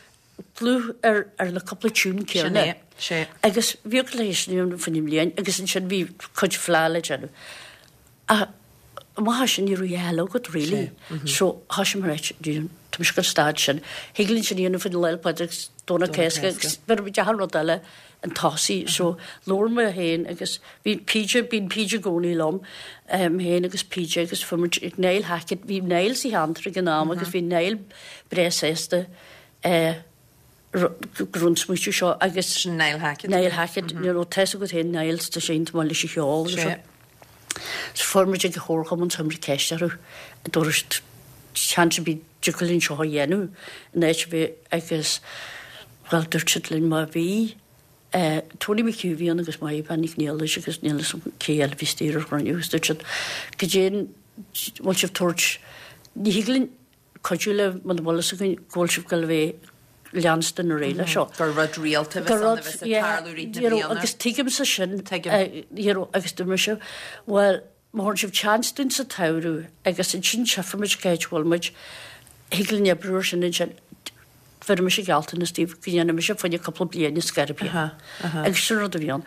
dlúth ar ar na cúpla tune céanna. Sin é, sé. Agus bhíodh leis sin faoin mbliain agus ansin bhí cuid fleá le déanamh. Ach amach as sin ní raibh a dhath eile agat really. So thoisigh mé right, tá mise ag an staid sin. Thig linn sin a dhéanamh faoin Lá 'le Pádraig agus Domhnach Cásca agus bhí muid achan rud eile an tosaigh. So labhair mé féin agus bhí PJ, bíonn PJ i gcónaí liom, mé féin agus PJ agus fuair muid ag Niall Hackett, bhí Niall sa cheantar ag an am agus bhí Niall breá sásta go raibh an smaoitiú seo agus Sin Niall Hackett. Niall Hackett, you know, tá 'fhios agat féin Niall, tá sé iontach maith leis an cheol agus Sé. So fuair muid ag an chomharchumann chuir muid ceist orthu an dtabharfadh siad seans ar bith dtiocfadh linn seo a dhéanamh in áit ar bith agus bhuel dúirt siad linn má bhí Tony McHugh a bhí ann agus Máire Bean Nic Niallais agus níl 'fhios agam cé eile a bhí istigh ar an chruinniú agus dúirt siad goidé an bhfuil sibh tabhairt ní thig linn cuidiú libh muna bhfuil fhios againn go bhfuil sibh ag goil a bheith leanstan ar aghaidh leis seo. Gur rud rialta a bheas ann a bheas ag tarlú rith na bliana. Agus tuigimse sin. Tuigim. You know agus dúirt mise bhuel. Má thabharann sibh chance dúinn sa tsamhradh agus ansin tchífimid cá háit a bhfuil muid, thig linn oibriú ar sin ansin. Bheir mise gealltanas daoibh go ndéanfaidh mise fá choinne cúpla bliain ar scor ar bith. Agus sin rud a bhí ann.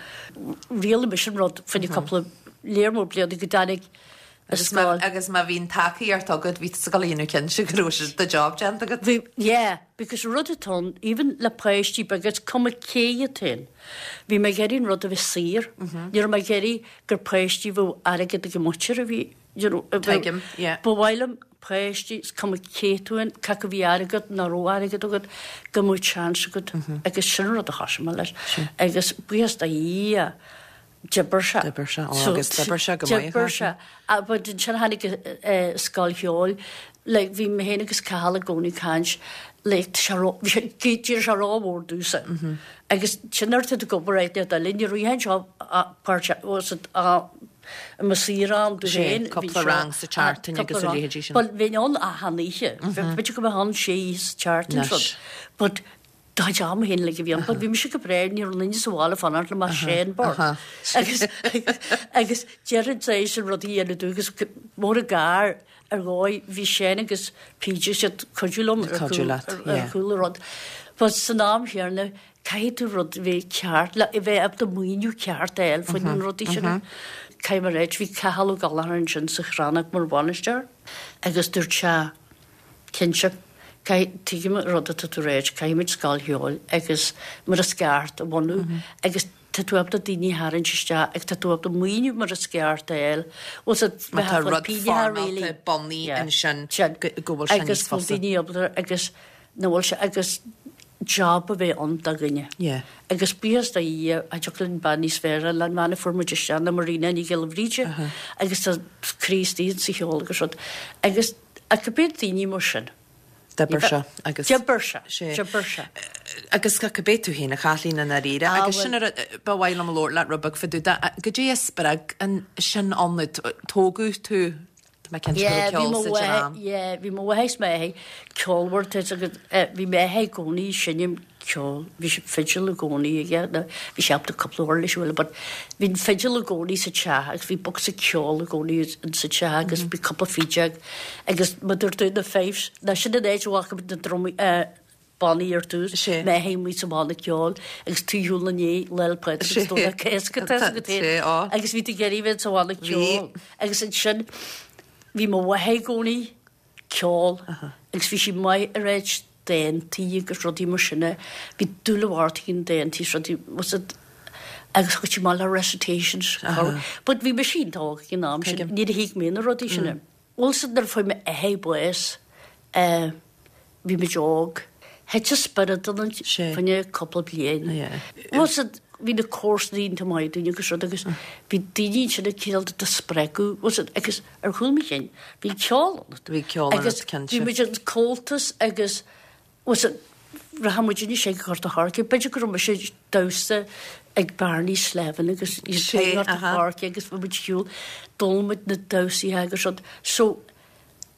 Rialaigh mise an rud fá choinne cúpla léar mór bliana go dtáinig an scoil. Agus má bhí an tacaíocht agat, bhí tusa ag dul a dhéanamh cinnte go raibh do job déanta agat. Bhí, yeah, because an rud atá ann, even le páistí beaga, is cuma cé atá ann, bhí mé ag iarraidh an rud a bheith saor. Ní raibh mé ag iarraidh gur páistí a bheadh airgead ag a muintir a bhí, you know, a bheadh, Tuigim, yeah. Ba mhaith liom páistí, is cuma cé tú ann, cé acu bhí airgead, nach raibh airgead agat, go mbeadh chance agat agus sin an rud a thosaigh mé leis. Agus buíochas do Dhia, d'oibir sé. D'oibir sé, ó agus d'oibir sé go maith. D'oibir sé. But ansin tháinig scoil cheoil, like bhí mé féin agus Cathal i gcónaí ag caint, like tá sé ró, bhí sé, d'éirigh sé rómhór domhsa. Agus sin nuair atá tú ag obair áit nó eile, ní raibh anseo páirt, was it, i mo saor-am domh féin. Sé, cúpla rang sa tseachtain agus a leithéidí sin. But bheinn ann achan oíche. B'fhéidir go mbeadh ann sé oíche sa tseachtain Anois. But do chuid ama féin like a bhí ann. But bhí mise go breá, ní raibh aon duine sa bhaile fanacht liom ach Shane Bord. Agus agus déarfainn tar éis an rud a dhéanamh domh agus mór an gar ar dhóigh bhí Shane agus PJ siad cuidiú liom ar Cuidiú leat, ar chúl an rud. But san am chéanna caithfidh tú rud a bheith ceart le a bheith ábalta maoiniú ceart a fháil faoi na rudaí sin. Caithfidh mé a ráit bhí Cathal Ó Gallchóir ansin sa Chrannóg mar bhainisteoir agus dúirt sé Cinnte. Caithfidh, tuigim an rud atá tú a ráit, caithfimid scoil cheoil agus mar is ceart a bhunú agus tá tú ábalta daoine a tharraingt isteach agus tá tú ábalta maoiniú mar is ceart a fháil. Bhfuil 's agat, Má tá rud foirmeálta bunaithe ansin go bhfuil sé níos Agus fusa. bhfuil daoine ábalta agus na bhfuil sé agus job a bheith ann do dhuine. Agus buíochas do Dhia, cha dtiocfadh linn bean níos fearr a fháil ná an bhean a fuair muid isteach ná Marina Ní Ghiolla Bhríde agus tá croí istigh insa cheol agus rud. Agus Ach cibé daoine mar sin. D'oibir sé agus. D'oibir sé. D'oibir sé. Agus cibé tú féin, a Chaitlín, i ndáiríre. Ah, Agus sin bhuel. an rud ba mhaith liom labhairt leat rud beag fá dtaobh de. Goidé a spreag an sin ionat? Tógadh tú, tá mé cinnte go raibh ceol sa dream. Yeah, bhí mo mháthair is m'athair ceolmhar, tá 'fhios agat, bhí m'athair i gcónaí ag seinm ceol. Bhí sé fidil i gcónaí aige, nó bhí sé ábalta cúpla uirlis a bhualadh but bhí an fidil i gcónaí sa teach agus bhí bocsa ceoil i gcónaí sa teach agus bhí cúpla fídeog agus mar dúirt tú na fifes, ná sin an áit a bhfaca muid na drumaí, eh, bannaí ar dtús, m'athair amuigh sa bhanna ceoil agus tú ar shiúl ina ndiaidh Lá 'le Pádraig agus Domhnach Cásca tá 'fhios agat féin agus bhí tú ag iarraidh bheith sa bhanna ceoil agus ansin bhí mo mháthair i gcónaí ceol agus bhí sí maith ag ráit dántaí agus rudaí mar sin. Bhí dúil mhór aici i ndántaí is rudaí was it agus chuaigh sí amach le recitations. But bhí mise iontach óg ag an am sin, níor thuig mé na rudaí sin. Bhuel 's nuair a fuair m'athair bás bhí muid óg. Thit an spiorad ionainn fá choinne cúpla bliain. Bhuel 's bhí na comharsana iontach maith dúinn agus rud agus bhí daoine ansin ag cineál do spreagadh bhuel 's agus ar chúl mo chinn bhí ceol ionat. Bhí ceol ionat, Agus cinnte. bhí muid in Comhaltas agus bhuel 's rachadh muid anois ag Gort a' Choirce b'fhéidir go raibh mise ag damhsa ag Barney Slevin agus iad ag Gort a' Choirce agus bhí muid shiúl d'fhoghlaim muid na damhsaithe agus rud so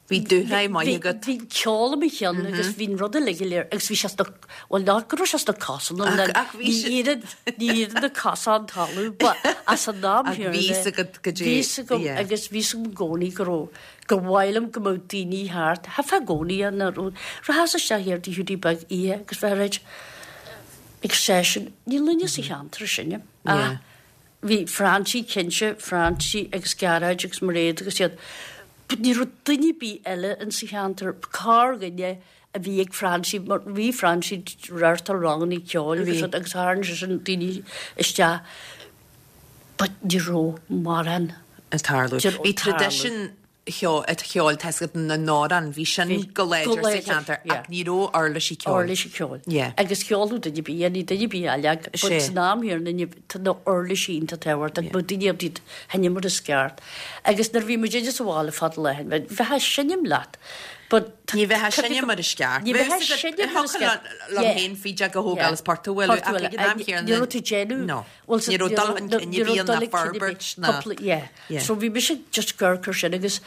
Bhí dúshraith maith agat. Bhí ceol i mo cheann agus bhí an rud uilig go léir agus bhí sé sna, bhuel nach go raibh sé sna cosa nó Ach, ach bhí sé. ní oireann, ní oireann na cosa an talamh but as an am Ach bhí fhios agat go dté, Bhí fhios agam yeah. agus bhí fhios agam i gcónaí go raibh, gur mhaith liom go mbeadh daoine thart, theifeá i gcónaí an rud, rachas isteach thiar Tigh Hiúdaí Beag oíche agus bheith ag ráit ag seisean, níl duine sa cheantar sin, ach Yeah. Bhí Francie cinnte, Francie agus Gearóid agus Mairéad agus iad but ní raibh duine ar bith eile in sa cheantar, corrdhuine a bhí ag Francie mar bhí Francie ag reáchtáil ranganna ceoil agus rud agus tharraing seisean daoine isteach but ní raibh mórán ag tarlú. Bhí Bhí traidisiún cheoil, tá 'fhios agat, na n-amhrán, bhí sin go láidir sa cheantar ach ní raibh uirlisí ceoil. Uirlisí ceoil. Agus cheolfadh duine ar bith, ní duine ar bith eile ach but san am chéanna tá na uirlisí iontach tábhachtach, bheadh daoine ábalta iad a sheinm mar is ceart. Agus nuair a bhí muid sa bhaile fada lá bheifeá ag seinm leat but Ní bheifeá ag seinm mar is ceart. Ní bheifeá ag seinm mar is ceart. Thiocfadh liom féin fídeog a thógáil is port a bhualadh ach ag an am chéanna. Ní raibh tú ag déanamh. No. Ní raibh dul chun cinn ar bith ná forbairt ná. Yeah. So bhí mise just ag amharc ar sin agus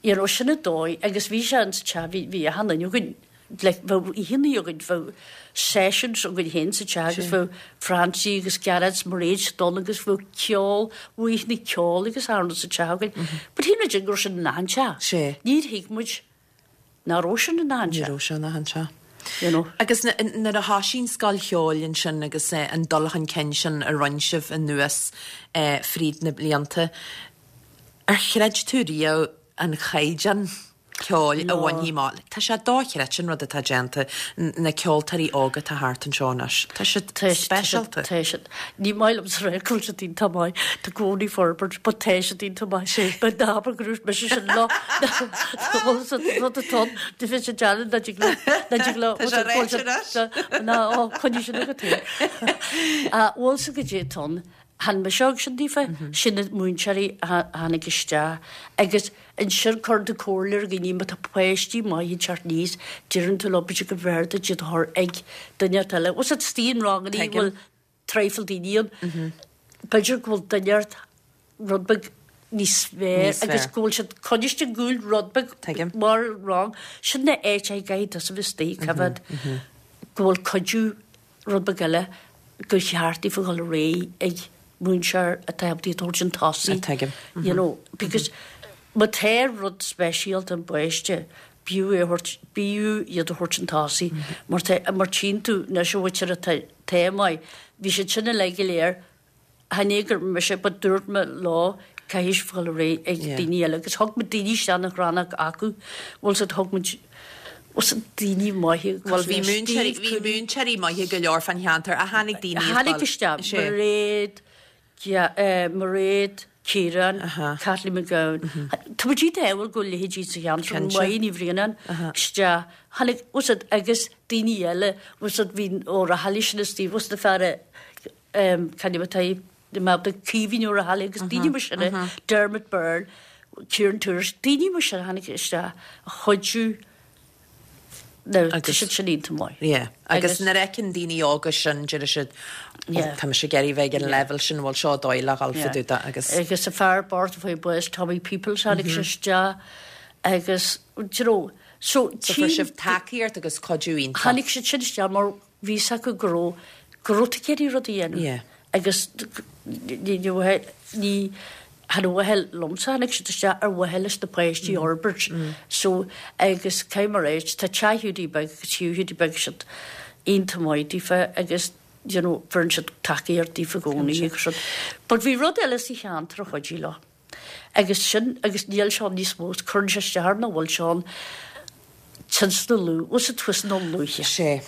you know sin an dóigh agus bhí sé in sa teach bhí bhí achan duine againn. Like, bheadh oícheannaí againn, bheadh sessions againn féin sa teach agus bheadh Francie agus Gearóid 's Mairéad istigh ann agus bheadh ceol, bheadh oícheannaí ceoil agus achan rud sa teach againn. But shíl muid go raibh sin in achan teach. Sea. Níor thuig muid nach raibh sin in achan Ní teach. raibh sé in achan teach. You know. Agus nuair a thoisigh an scoil cheoil ansin agus an dul chun cinn sin a rinne sibh anuas fríd na blianta, ar chreid tú riamh an caighdeán ceoil a bhainfí amach. Tá sé dochreidte an rud atá déanta, na ceoltóirí óga atá thart anseo anois. Tá siad speisialta. Tá siad. Ní maith liom a rá go bhfuil siad iontach maith. Tá i gcónaí forbairt, but tá siad iontach maith. But ná habair go raibh mise sin lá. Bhfuil siad rud atá ann, do bhí siad dearna ná dtig leo, ná dtig leo. Tá sé ráite anois. Ná, ó, coinnigh sin agat féin. Bhfuil sa go dtí atá ann, Chan mise thug sin daofa, sin na múinteoirí a tháinig isteach agus ansin cuireann tú comhairle ar dhaoine má tá páistí maithe ag teacht aníos, deireann tú leo b'fhéidir go mb'fhearr duit iad a chur ag duine inteacht eile. Bhfuil a fhios agat istigh in rangannaí a bhfuil traidhfil daoine ann, b'fhéidir go bhfuil duine inteacht rud beag níos fearr agus go bhfuil siad coinniste ag gabháil rud beag mar rang. Sin na áit a gcaithfidh tusa bheith istigh, coimhéad go bhfuil cuidiú rud beag eile, gur cheart daofa dhul ar aghaidh ag múinteoir atá ábalta iad a thabhairt chun tosaigh. Tuigim. You know, because má tá rud speisialta an bpáiste, b'fhiú é a thabhairt, b'fhiú iad a thabhairt chun tosaigh. Mar tá, mar tchíonn tú anois an mhuintir atá, tá maith, bhí siad sin uilig go léir Chan é gur mise but dúirt mé leo caithfidh sibh dhul ar aghaidh ag daoine eile agus thug muid daoine isteach na Chrannóg acu bhfuil 's agat thug muid bhfuil 's agat daoine maithe Bhuel bhí múinteoirí bhí múinteoirí maithe go leor fán cheantar a tháinig daoine a tháinig isteach Mairéad Mairéad Ciarán Kathleen McGowan Tá muid iontach ádhúil go bhfuil leithéidí sa cheantar Máire Ní Bhraonáin isteach tháinig bhfuil 's agat agus daoine eile bhfuil 's agat bhí Ó Raghallaigh sin istigh bhfuil 's agat na fear a Cad é atá i mBabhta Caoimhín Ó Raghallaigh agus daoine mar sin, Dermot Byrne, Kieran Tourish, daoine mar sin a tháinig isteach a chuidiú Now, tá siad sin iontach maith. Yeah. Agus nuair a fheiceann daoine óga sin, deir siad, oh, tá mise ag iarraidh bheith ag an leibhéal sin, bhuel seo dóigh le dhul fá dtaobh de agus. Agus an fear bocht a fuair bás, Tommy Peoples, tháinig sé isteach agus, do you know, so. So fuair sibh tacaíocht agus cuidiú iontach. Tháinig siad sin isteach mar Bhí 's acu go raibh, go raibh tú ag iarraidh rud a dhéanamh. Yeah. Agus ní, ní, ní, chan ar mhaithe liomsa tháinig siad isteach ar mhaithe leis na páistí a fhorbairt. So, agus caithfidh mé a ráit, tá teach Hiúdaí Beag agus Hugh Hiúdaí Beag siad iontach maith daofa agus you know, bheireann siad tacaíocht daofa i gcónaí agus rud. But bhí rud eile sa cheantar a chuidigh leo. Agus sin, agus níl sé ann níos mó, cuireann sé isteach orm nach bhfuil sé ann, Tionscnamh Lú, bhfuil 's agat thuas in Lúiche. Sea.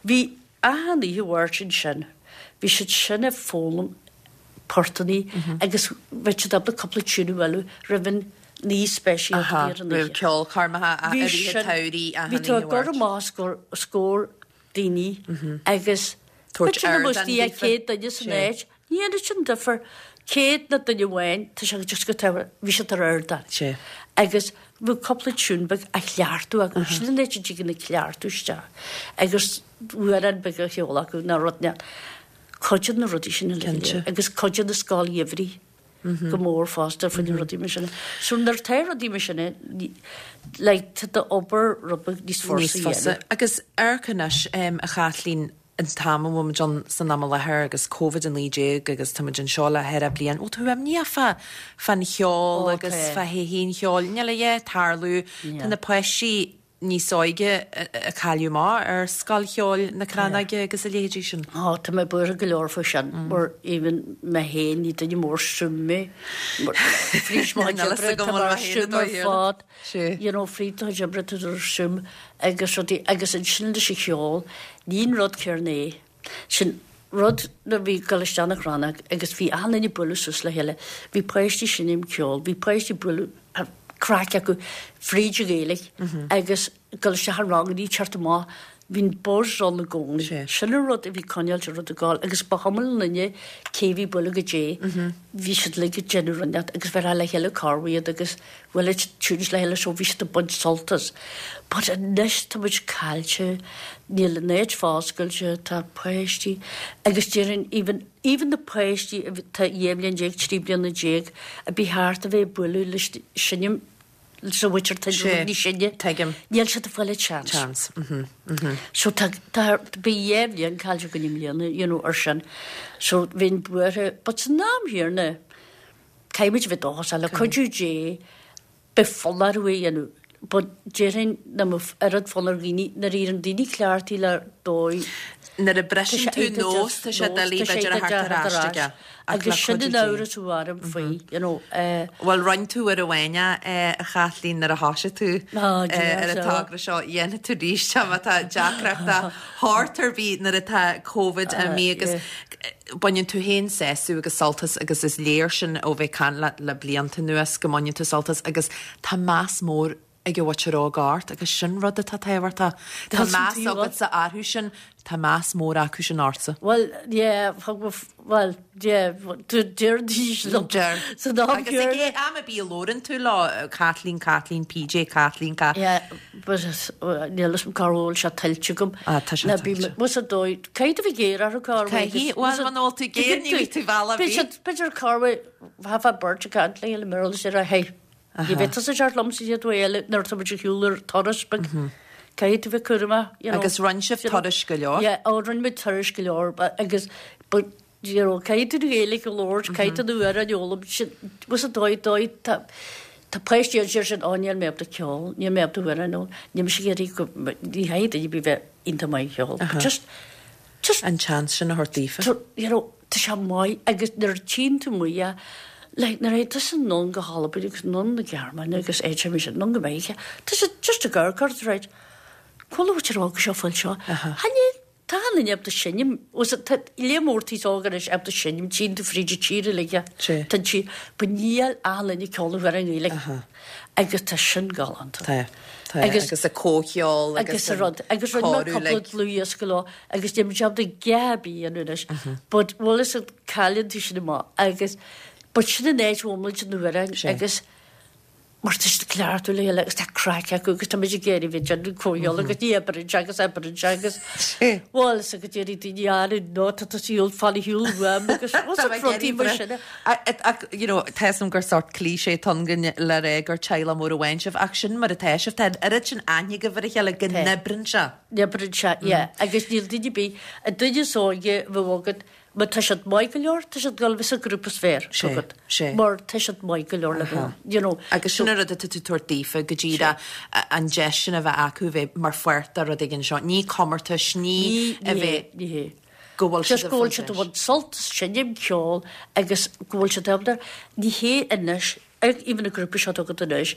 Bhí achan oíche Mháirt ansin, bhí siad sin ag foghlaim portannaí agus bheadh siad ábalta cúpla tune a bhualadh roimh an oíche speisialta a bhí ar an oíche. Roimh ceolchoirmeacha i rith an tsamhraidh achan Bhí tú oíche ag cur Mháirt. amach os comhair daoine agus Tabhairt b'fhéidir nach ardán mbeadh daofa. 100 duine san áit, Ní dhéanann sin difear. 100 nó duine amháin, tá sé just go tábhachtach, bhí siad ar ardán. Sea. Agus bhí cúpla tune beag á chleachtadh acu, sin an áit a dtigeann an cleachtadh isteach. Agus amhrán beag á cheol acu nó rud inteacht. Cuidíonn na rudaí sin uilig go léir. Agus cuidíonn an scoil gheimhridh go mór fosta faoi na rudaí mar sin. So nuair atá rudaí mar sin, like, tá d'obair rud beag níos fusa Níos a fusa. dhéanamh. Agus amharc anois, a Chaitlín, an t-am a bhfuil muid ann san am i láthair agus Covid-19 agus tá muid anseo le ceithre bliain, bhfuil tú imníoch fá, fán cheol agus fá thodhchaí an cheoil? Níl a dhath ag tarlú. Tá na páistí níos óige ag cailleadh amach ar Scoil Cheoil na Crannóige agus a leithéidí sin. Ó, tá mé buartha go leor faoi sin, mar even mé féin, ní duine mór suim mé. Mar fríd mo chuid oibre, tá mé ar suim ar fad. You know, fríd do chuid oibre tá tú ar suim agus rudaí agus ansin leis an cheol, ní an rud céarna é. Sin rud nuair a bhí ag dul isteach na Crannóg agus bhí achan duine ag bualadh suas le chéile, bhí páistí ag seinm ceoil, bhí páistí ag bualadh craic acu fríd an Ghaeilge agus ag dul isteach i rangannaí ag teacht amach, bhí an buzz ann i gcónaí. Sin an rud a bhí coinneáilt an rud ag gabháil agus ba chuma le duine cé bhí ag bualadh goidé, bhí siad uilig ag déanamh rud inteacht agus bheirtheá le chéile corruair iad agus bhuail siad tunes le chéile so bhí siad ag baint sult as. But anois tá muid caillte, níl an áit foscailte, tá páistí agus déarfainn even, even na páistí atá 12 bhliain, 13 bliana a bhí thart a bheith ag bualadh leis seinm. leis an mhuintir atá Sé, níos sine. tuigim. Níl siad ag fáil an chance. Chance, mhm, mhm. So tá, tá, bhí dhá bhliain caillte againn i mbliana, you know, ar sin. So bhínn buartha, but san am chéanna, caithfidh muid a bheith dóchasach, le cuidiú Dé, beidh fonn orthu é a dhéanamh. But déarfainn nach mbeadh oiread fonn ar dhaoine, nuair a éiríonn daoine cleachtaithe le dóigh, Nuair a briseann tú nós, tá sé doiligh b'fhéidir a theacht ar ais aige. Ach le Agus sin cuidiú an Dé. amhras a bhí orm faoi, you know. Bhuel, rinne tú uair amháin é, a Chaitlín, nuair a thoisigh tú Á, Dia, ar an sea. togra seo, dhéanfaidh tú arís é má tá deacracht de shórt ar bith nuair atá Covid imithe agus baineann tú féin sásamh agus sult as agus is léir sin ó bheith ag caint leat le blianta anuas go mbaineann tú sult as agus tá meas mór ag an mhuintir óg ort agus sin rud atá tábhachtach. Tá meas agatsa orthu sin, tá meas mór acu sin ortsa. Bhuel, yeah, thug mo, bhuel, yeah, deir daoine liom. Deir. San am Agus ag am ar bith a labhrann tú leo, Caitlín, Caitlín, PJ, Caitlín, Ca. Yeah, but níl fhios a'm cá bhfuil sé tuillte agam. Ah, tá sé tuillte. Bhuel, ar dóigh, caithfidh tú bheith géar orthu cá bhfuil. Caithfidh, bhuel, muna bhfuil tú géar ní bheidh tú bealach ar bith. B'fhéidir cá bhfuil, bheifeá beirt ag caint le chéile, mar is ar a hey. Ní bheidh tusa ag teacht liom sa chéad uair eile nuair atá muid ar shiúl ar turas beag. Caithfidh tú bheith cúramach, you know. Agus rinne sibh turais go leor? Yeah, oh rinne muid turais go leor agus but you know caithfidh tú an Ghaeilge a labhairt, caithfidh tú na hamhráin a fhoghlaim, sin, bhfuil sa dóigh, dóigh, tá, tá páistí ann sin, oh níl mé ábalta ceol, níl mé ábalta amhráin a fhoghlaim, níl mise ag iarraidh go, ní chaithfidh duine ar bith bheith iontach maith ag ceol, but just, just. An chance sin a thabhairt daofa. You know, tá sé maith agus nuair a tchíonn tú amuigh é, like nuair a théann tusa anonn go hAlbain agus anonn na Gearmáine agus áit ar bith anonn go Meiriceá, tá siad just ag amharc ort right, cá bhfuil an mhuintir óg seo fáil seo? Tha níl, tá achan duine ábalta seinm, was it, tá lear mór aos óg anois ábalta seinm, tchíonn tú fríd an tír uilig é, tá an tír, but níl achan duine ag ceol na hamhráin Ghaeilge agus tá sin galánta. Tá. Tá, agus an comhcheol agus an rud, agus rinne mé cúpla dlúthdhiosca leo agus níl muid ábalta a dhath ar bith a dhéanamh anois, but bhfuil fhios agat cailleann tú sin amach agus but sin an áit a bhfuil muid na hamhráin agus mar tá siad cleachtadh le chéile agus tá craic acu agus tá muid ag iarraidh bheith ag déanamh comhcheol agus ní oibreann sé agus oibreann sé agus bhfuil fhios agat déarfaidh daoine ah no tá tú siúl fan ar shiúl uaim agus bhfuil fhios agat rudaí mar sin. Ach, you know, tá fhios a'm gur sórt cliché atá ann le rá gur teaghlach mór amháin sibh, ach sin mar atá sibh, tá an oiread sin aithne agaibh ar a chéile go n-oibreann sé. N-oibreann sé, yeah. Agus níl duine ar bith, an duine is óige a bheadh agat, má tá siad maith go leor, tá siad ag dul a bheith sa ghrúpa is fearr agat. Sé. Mar tá siad maith go leor le bheith, you know. Agus sin an rud atá tú ag tabhairt daofa, go díreach an deis sin a bheith acu a bheith mar pháirt de rud éigin seo. Ní comórtais, ní a bheith. Ní hé. go bhfuil siad ag go bhfuil siad ag baint sult as seinm ceoil agus go bhfuil siad ábalta, ní hé anois, even an grúpa seo atá agat anois,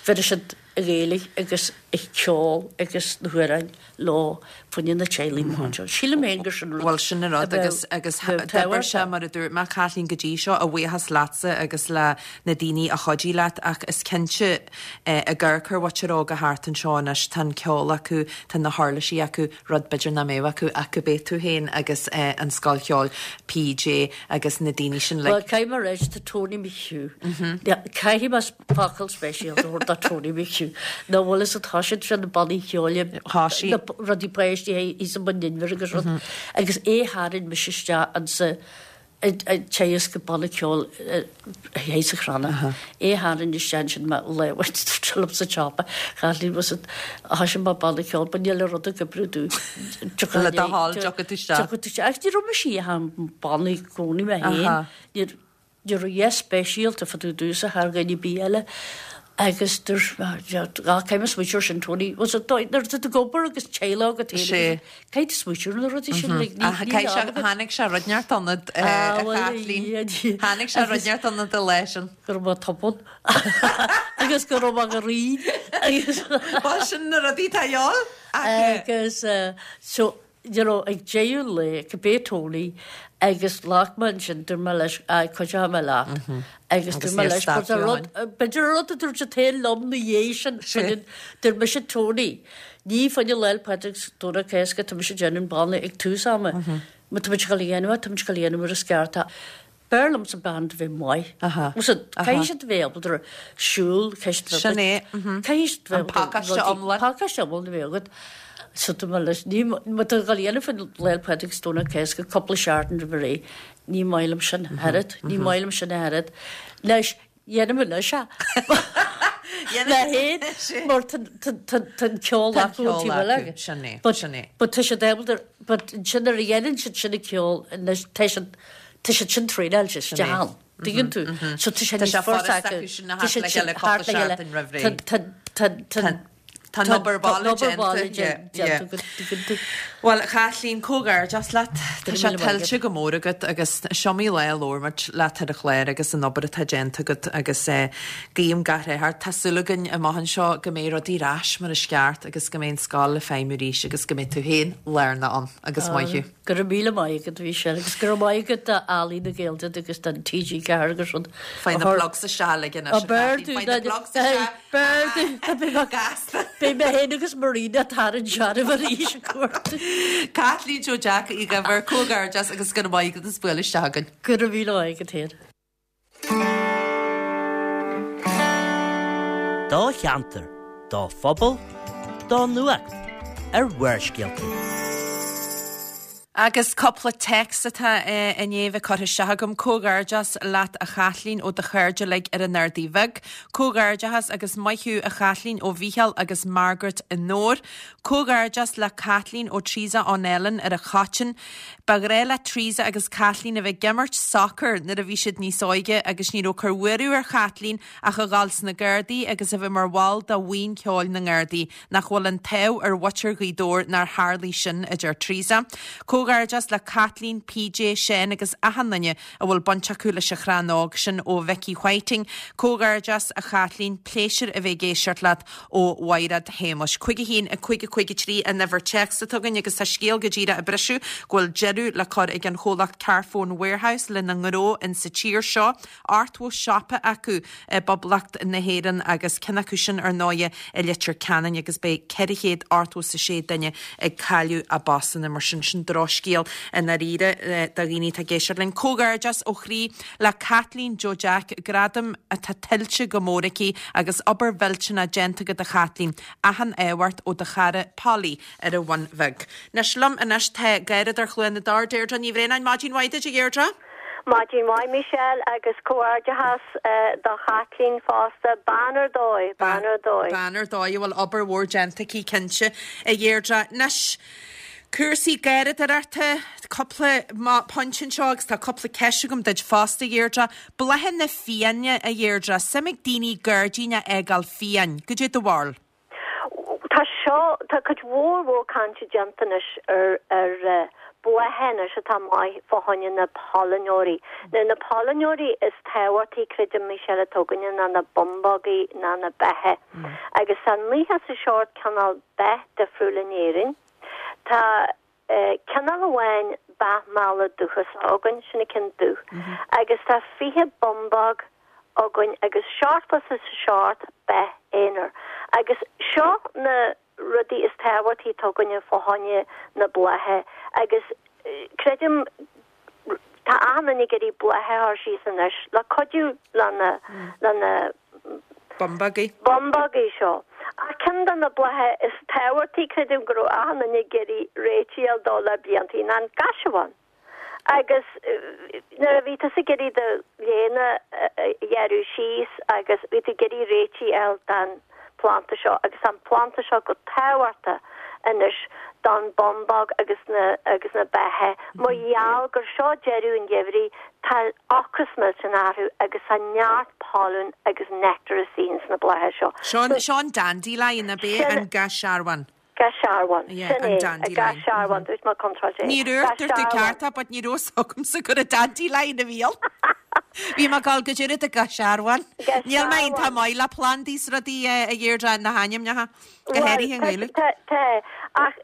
bheir siad i Gaeilge agus ag ceol agus na hamhráin leo fá choinne na teaghlaigh amach anseo. Sílim féin gur sin rud Bhuel sin an rud agus agus d'oibir sé mar a dúirt mé Caitlín go dtí seo a bhuíochas leatsa agus le na daoine a chuidigh leat ach is cinnte ag amharc ar mhuintir óga thart anseo anois tá an ceol acu, tá na huirlisí acu, rud b'fhéidir nach mbeadh acu ach go b'é tú féin agus an Scoil Cheoil PJ agus na daoine sin like. Bhuel, caithfidh mé a rá, tá Tony McHugh. Caithfidh mé focal speisialta a thabhairt do Tony McHugh. Nó bhfuil fhios agat, thoisigh sé na bannaí ceoil, na rudaí páistí thíos i mBun Inbhir agus rud, agus é tharraing mise isteach ansa ag teagasc banna ceoil thíos sa Chrannach. É tharraing isteach ansin mé lá amháin dúirt sé liom sa tsiopa, Chaitlín was it, thoisigh mé banna ceoil but níl aon rud ag oibriú domh. Le do thoil, tiocfaidh tú isteach. Tiocfaidh tú isteach. Ach ní raibh mise ach an banna i gcónaí mé féin. Ní raibh a dhath speisialta fá dtaobh domhsa thar dhuine ar bith eile. Agus dúirt mé, caithfidh mé smaoitiú ar sin Tony, was it, nuair atá tú ag obair agus teaghlach agat féin agus caithfidh tú smaoitiú ar na rudaí sin, like, ní, Ach caithfidh sé, tháinig sé rud neart ionat, a Chaitlín. Tháinig sé rud neart ionat an lá sin. Go raibh mé tobann agus go raibh mé go righin agus. Bhuel, sin na rudaí atá a dhíobháil ach. Agus so, you know, ag deireadh an lae, cibé Tony, agus ghlac mé ansin, dúirt mé leis, aye, cuideoidh mé leat. Agus dúirt mé leis, but an rud, b'fhéidir an rud a dúirt siad féin liom na dhiaidh sin, dúirt mise Tony, ní fá choinne Lá 'le Pádraig 's Domhnach Cásca tá mise ag déanamh an banna ag tús ama. Má tá muid ag dul a dhéanamh é, tá muid ag dul a dhéanamh mar is ceart é. B'fhearr liomsa band a bheith maith. Bhfuil fhios agat, caithfidh siad a bheith ábalta siúl, caithfidh siad a bheith Sin é. Caithfidh siad a bheith An pacáiste iomlán. Pacáiste iomlán a bheith agat. So tá mé leis, ní, má tá ag dul a dhéanamh fá Lá 'le Pádraig 's Domhnach Cásca cúpla seachtain roimh ré, ní maith liom sin ach oiread, ní maith liom sin ach oiread. Anois, Dhéanaim anois é. ná féin mar tá an ceol acu an taobh eile acu. Sin é, sin é. But tá siad ábalta, but ansin nuair a dhéanann siad sin an ceol anois tá siad, tá siad sin traenáilte isteach ann. Tuigeann tú? So tá sé níos furasta acu. Tá siad sin thart le chéile roimh ré. Tá, tá, tá, Tá an obair baile déanta. Bhuel, a Chaitlín, comhghairdeas leat. Tá sé tuillte go mór agat agus is iomaí lá a labhair muid leat ar an chlár agus an obair atá déanta agat agus guím gach rath ort. Tá súil againn amach anseo go mbeidh rudaí ar ais mar is ceart agus go mbeidh an scoil ag feidhmiú arís agus go mbeidh tú féin lárnach ann agus maith thú. Go raibh míle maith agat, a Mhichelle, agus go raibh maith agat d'Ealaín na Gaeilge agus don TG4 agus rud. Faigh na plugs isteach uilig anois, a Chaitlín, faigh na plugs isteach. B'fhearr dúinn, gasta. Beidh mé féin agus Marina ag tarraingt searbh arís ag cuartú. Caitlín Joe Jack Uí Dhuibhir, comhghairdeas agus go raibh maith agat as bualadh isteach chugainn. Go raibh míle maith agat féin. Do cheantar, do phobal, do nuacht ar Bharrscéalta. Agus cúpla téacs atá i ndiaidh bheith curtha isteach agam. Comhghairdeas leat a Chaitlín ó do chairde uilig ar an Ardaidh Bheag. Comhghairdeachas agus maith thú a Chaitlín ó Mhícheál agus Margaret i nDobhar. Comhghairdeas le Caitlín ó Teresa on Eilean ar an Choiteann. Ba ghnách le Teresa agus Caitlín a bheith ag imirt sacair nuair a bhí siad níos óige agus ní raibh cur uathu ar Chaitlín ach a dhul sna Gardaí agus a bheith mar bhall de bhuíon ceoil na nGardaí. Nach bhfuil an t-ádh ar mhuintir Ghaoth Dobhair nár tharlaigh sin, a deir Teresa. Comhghairdeas le Caitlín, PJ, Seán agus achan duine a bhfuil baint acu leis an chrann óg sin ó Vicky Whiting. Comhghairdeas a Chaitlín, pléisiúr a bheith ag éisteacht leat ó Mhaighread Shéamuis. 5 1 5 5 3 an uimhir téacs atá againn agus tá scéal go díreach ag briseadh go bhfuil deireadh le cur ag an chomhlacht Carphone Warehouse lena ngnó insa tír seo. 80 siopa acu i bPoblacht na hÉireann agus ceann acu sin ar ndóighe i Leitir Ceanainn agus beidh 486 duine ag cailleadh a bpostanna mar sin. Sin drochscéal i ndáiríre do dhaoine atá ag éisteacht linn. Comhghairdeas ó chroí le Caitlín Joe Jack, gradam atá tuillte go mór aici agus obair mhillteanach déanta agat a Chaitlín. Achan ádh ort ó do chara Polly ar an Bhun Bheag. Anois liom anois tá Garradóir Chluain na dTor, Deirdre Ní Bhraonáin. Maidin mhaith duit a Dheirdre. Maidin mhaith Michelle agus comhghairdeachas do Chaitlín fosta. Bean ar dóigh, bean ar dóigh. Bean ar dóigh a bhfuil obair mhór déanta aici cinnte a Dheirdre. Anois cúrsaí garradóireachta, cúpla pointe anseo agus tá cúpla ceist agam duit fosta a Dheirdre. Bláthanna fiáine a Dheirdre, suim ag daoine gairdín a fhágáil fiáin. Goidé do bharúil? Tá seo, tá cuid mhór mhór cainte déanta anois ar ar blátha anois atá maith fá choinne na pailneoirí. Now na pailneoirí is tábhachtaí, creidim, Michelle, atá againne ná na bumbógaí ná na beithe. Agus tá 97 cineál beith difriúil in Éirinn. Tá cineál amháin beach meala dúchasach againn, sin an ceann dubh, agus tá 20 bumbóg againn agus 77 beith aonair. Agus seo na rudaí is tábhachtaí atá againne fá choinne na blátha agus creidim tá achan duine ag iarraidh blátha a chur síos anois le cuidiú le na, le na Bumbógaí. Bumbógaí seo. Ach ceann de na blátha is tábhachtaí, creidim go raibh achan duine ag iarraidh réitigh a fháil dó le bliantaí, ná an gaisearbhán. Agus nuair a bhí tusa ag iarraidh do léine a ghearradh síos agus bhí tú ag iarraidh réitigh a fháil don phlanda seo agus tá an planda seo go tábhachtach anois don bumbóg agus na agus na beithe mar gheall gur seo deireadh an gheimhridh tá ocras millteanach orthu agus tá neart pailin agus nectar istigh ins na blátha seo. Seo an seo an dandelion ab é an gaisearbhán. Gaisearbhán. Sin é, an gaisearbhán, dúirt mé contráilte é. Ní raibh, dúirt tú ceart é, but ní raibh fhios agamsa gur an dandelion a bhí ann. Bhí mé ag gabháil goidé an gaisearbhán. Níl mé iontach maith le plandaí is rudaí a Dheirdre, na hainmneacha, go háirithe i nGaeilge. Tá, tá, ach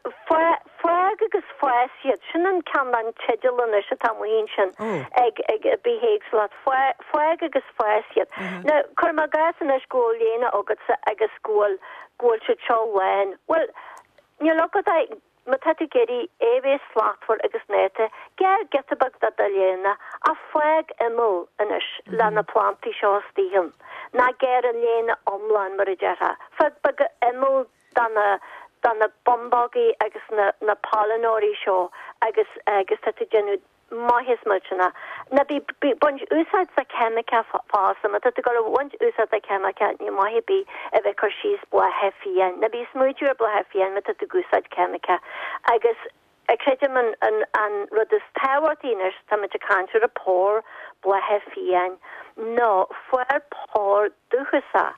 fág agus fás iad, sin an ceann den teideal anois atá amuigh ansin ag ag bithéagsúlacht, fág agus fás iad. Now, cuirim i gcás anois go bhfuil léine agatsa agus go bhfuil go bhfuil siad seo lán. Bhuel, níl agat ach, má tá tú ag iarraidh é a bheith slachtmhar agus néata, gearr giota beag de do léine ach fág imeall anois le na plantaí seo istigh ann. Ná gearr an léine iomlán, mar a déarfá. Fág beag imeall do na, do na bumbógaí agus na, na pailneoirí seo agus, agus tá tú ag déanamh. Maitheas millteanach. Ná bí ag baint úsáid de cheimiceach fosta. Má tá tú ag dul a bhaint úsáid de cheimiceach níl maith ar bith a bheith ag cur síos blátha fiáin. Ná bí ag smaoitiú ar blátha fiáin má tá tú ag úsáid ceimiceach. Agus creidim an an an rud is tábhachtaí anois, táimid ag caint ar an pór blátha fiáin, ná fair pór dúchasach.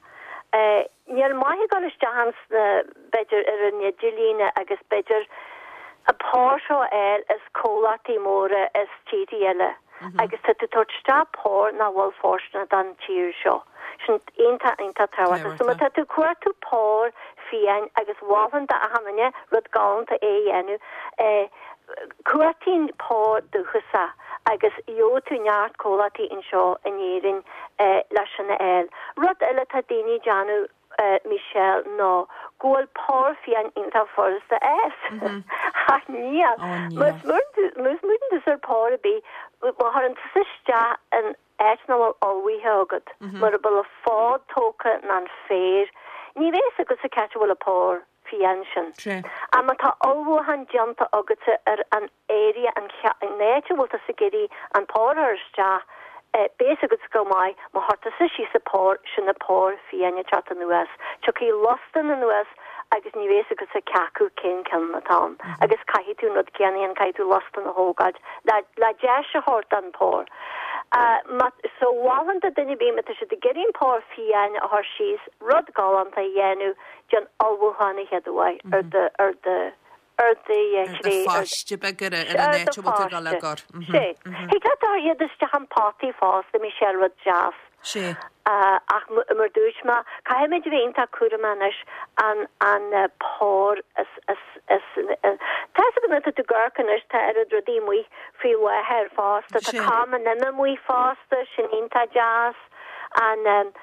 Níl maith ag dul isteach ins na, b'fhéidir ar an idirlíne agus b'fhéidir an pór seo a fháil as comhlachtaí móra as tíorthaí eile agus tá tú ag tabhairt isteach pór nach bhfuil fóirsteanach don tír seo. Sin iontach, iontach tábhachtach. So má tá tú ag cuartú pór fiáin agus mholfainn d'achan duine rud galánta é a dhéanamh, cuartaíonn pór dúchasach agus gheobhaidh tú neart comhlachtaí anseo in Éirinn le sin a fháil. Rud eile atá daoine ag déanamh, Michelle, ná go bhfuil pór fiáin iontach furasta a fhás. Ach níl. Má smaoiníonn tusa ar pór ar bith, má chuireann tusa isteach in áit nach bhfuil ullmhaithe agat, mura bhfuil an fód tógtha ná an féar, ní bheidh fhios agatsa c'áit a bhfuil an pór. fiáin sin. Ach má tá ullmhúchán déanta agatsa ar an area, an áit a bhfuil tusa ag iarraidh an pór a chur isteach, beidh fhios agatsa go maith, má chuir tusa síos an pór, sin an pór fiáin ag teacht anuas. Tiocfaidh lostan anuas agus ní bheidh fhios agatsa ceacu cén ceann atá ann. Agus caithfidh tú an rud céanna a dhéanamh, caithfidh tú lostan a thógáilt le le deis a thabhairt don pór. So mholfainn do duine ar bith má tá siad ag iarraidh an pór fiáin a chur síos, rud galánta a dhéanamh, Déan ullmhúchán a chéad uair ar do, ar do, ar do ar do phaiste beag ar an áit a bhfuil tú ag dul á gcur. Sé. Thig leat a chur iad isteach in potaí fosta, Michelle, rud deas. Sé. Ach mar dúirt mé, caithfimid a bheith iontach cúramach anois an, an pór is, is, is, tá fhios agat nuair atá tú ag amharc anois tá oiread rudaí amuigh faoi láthair fosta, tá com an ime amuigh fosta, sin iontach deas. An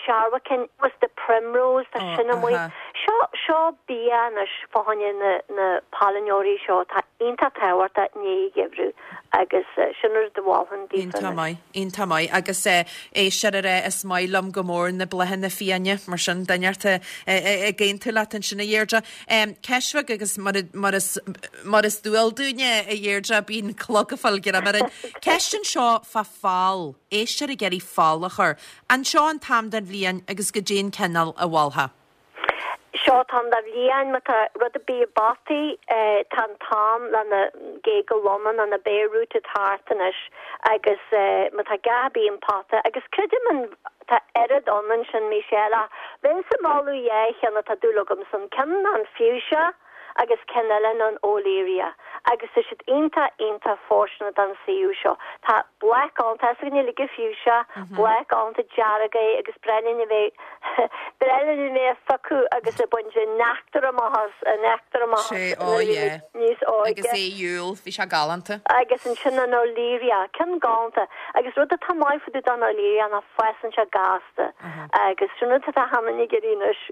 searbhaiceann with the primrose, tá sin amuigh. Seo, seo bia anois fá choinne na, na pailneoirí seo atá iontach tábhachtach i ndiaidh an gheimhridh agus sin rud a mholfainn daofa Iontach anois. maith, iontach maith. Agus éisteoir ag rá is maith liom go mór na bláthanna fiáine, mar sin duine ata ag aontú leat ansin a Dheirdre. Ceist bheag agus mar, mar is, mar is dual dúinne a Dheirdre bíonn clog ag fáil greim orainn. Ceist anseo fá pholl, éisteoir ag iarraidh poll a chur. An seo an t-am den bhliain agus goidé an cineál a mholfá. Seo an t-am den bhliain, má tá rud ar bith i bpotaí, tá an t-am le na géaga loma nó na bare rooted thart anois agus má tá a dhath ar bith in pota, agus creidim an, tá oiread ann ansin Michelle ach bheinnse ag moladh dhá cheann atá dúil agamsa ann, ceann ná an fuchsia, agus ceann eile ná an Olearia agus tá siad iontach iontach fóirsteanach don suíomh seo. Tá bláth galánta, tá a fhios againn uilig an fuchsia, bláth galánta dearg é agus breá linn a bheith breá linn a bheith á phiocadh agus ag baint an neachtar amach as, an neachtar amach as Sé, ó nuair a bhí yeah. muid níos óige. Agus é Iúil, bhí sé galánta. Agus ansin an Olearia, ceann galánta agus rud atá maith fá dtaobh den Olearia ná fásann sé gasta. Agus sin rud atá achan duine ag iarraidh anois,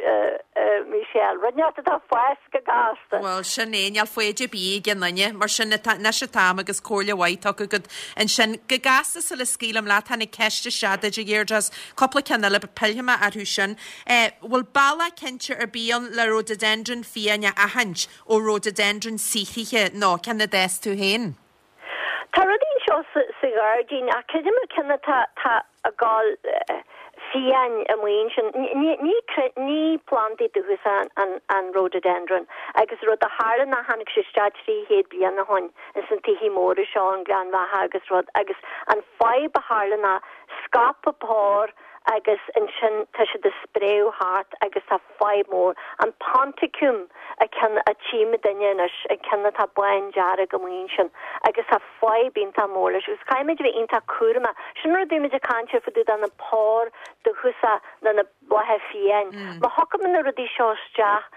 a Michelle, rud inteacht atá ag fás go gasta. Bhuel, sin é, níl foighid ar bith ag aon duine, mar sin atá, anois an t-am agus comhairle mhaith tugtha agat ansin. Go gasta sula scaoilim leat, tháinig ceist isteach duit, a Dheirdre, is cúpla ceann eile, pillfidh mé orthu sin. Bhfuil bealach cinnte ar bith ann le rhododendron fiáin a aithint ó rhododendron saothraithe nó ceann a d'fhás tú féin? Tá rudaí anseo sa ghairdín ach creidim an ceann atá tá ag gabháil fiáin amuigh ansin. Ní ní ní plandaí dúchasach an an rhododendron agus rud a tharla ná tháinig sé isteach 300 bliain ó shoin ins na tithe móra seo an Gleann Bheatha agus rud agus an fadhb a tharla ná scaip an pór agus ansin tá siad ag spréadh thart agus tá fadhb mór. An Ponticum an ceann a tchímidinne anois, an ceann atá bándearg amuigh ansin agus tá fadhb iontach mór leis agus caithfimid a bheith iontach cúramach. Sin rud a bhímid ag caint ar fá dtaobh de na pór dúchasach nó na blátha fiáin. Má thiocfaimid na rudaí seo isteach,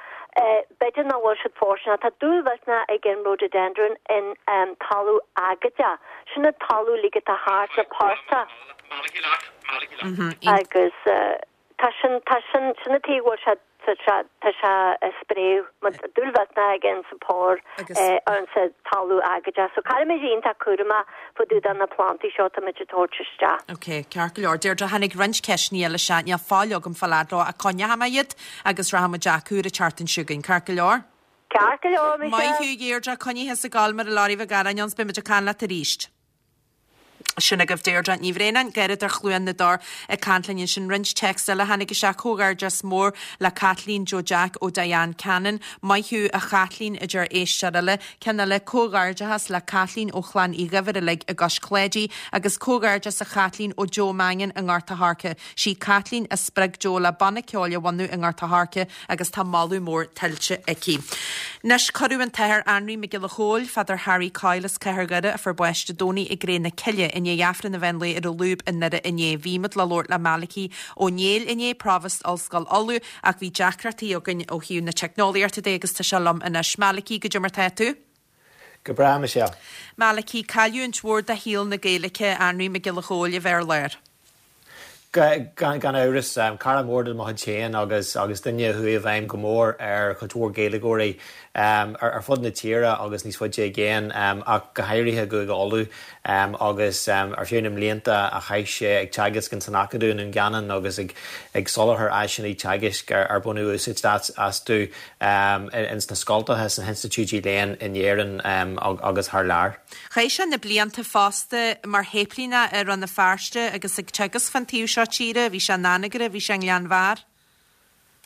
b'fhéidir nach bhfuil siad fóirsteanach. Tá dúil mhillteanach ag an rhododendron in talamh aigéadach. Sin an talamh uilig atá thart na portaigh. Agus tá sin, tá sin, sin an tuige go bhfuil sé, tá sé, tá sé ag spréadh, mar tá dúil mhillteanach aige ins an pór, ins an talamh aigéadach. So caithfimid a bheith iontach cúramach fá dtaobh de na plandaí seo atáimid ag tabhairt isteach. Ok, ceart go leor. Deirdre, tháinig roinnt ceisteanna eile isteach, níl fáil agam fáil fhad leo ach coinneoidh mé iad agus rachaidh muid acu ar an tseachtain seo chugainn, ceart go leor? Ceart go leor, Michelle. Maith thú, a Dheirdre, coinnigh thusa ag gabháil mar a Lorry Mhic Gearáin ann 's beidh muid ag caint leat arís. Sin agaibh Deirdre Ní Bhraonáin, Garradóir Chluain na dTor ag caint linn ansin. Roinnt téacs eile a tháinig isteach, Comhghairdeas mór le Caitlín Joe Jack ó Diane Cannon. Maith thú a Chaitlín, a deir éisteoir eile. Ceann eile, Comhghairdeachas le Caitlín ó chlann Uí Dhuibhir uilig i gCois Cláidí agus comhghairdeas a Chaitlín ó Joe Mannion i nGort a' Choirce. Sí Caitlín a spreag Joe le banna ceoil a bhunú i nGort a' Choirce agus tá moladh mór tuillte aici. Anois, cuireadh an tAthair Anraí Mac Giolla Chóill, Father Harry Coyle as Cathair Dhoire, a fuair bás Dé Domhnaigh i gCré na Cille, i ndiaidh Aifreann an mheán lae ar an Lúb i nDoire inné. Bhí muid le labhairt le Malachy Ó Néill inné, Provost Ollscoil Uladh, ach bhí deacrachtaí againn ó thaobh na teicneolaíochta de agus tá sé liom anois. Malachy, goidé mar tá tú? Go breá, Michelle. Malachy, cailliúint mhór do shaol na Gaeilge, Anraí Mac Giolla Chóill a bheith ar lár. Gan amhras, cara mór de mo chuid féin agus agus duine a chuaigh i bhfeidhm go mór ar chuid mhór Gaeilgeoirí ar fud na tíre agus níos faide i gcéin, ach go háirithe i gCúige Uladh agus ar feadh na mblianta a chaith sé ag teagasc ins an Acadamh i nDún Geanainn agus ag ag soláthar áiseanna teagaisc ar baineadh úsáid astu ins na scoltacha, sna hinstitiúidí léinn in Éirinn agus thar lear. Chaith sé na blianta fosta mar shéiplíneach i Rann na Feirste agus ag teagasc fán taobh seo tíre. Bhí sé in Anagaire, bhí sé i nGleann Bheatha.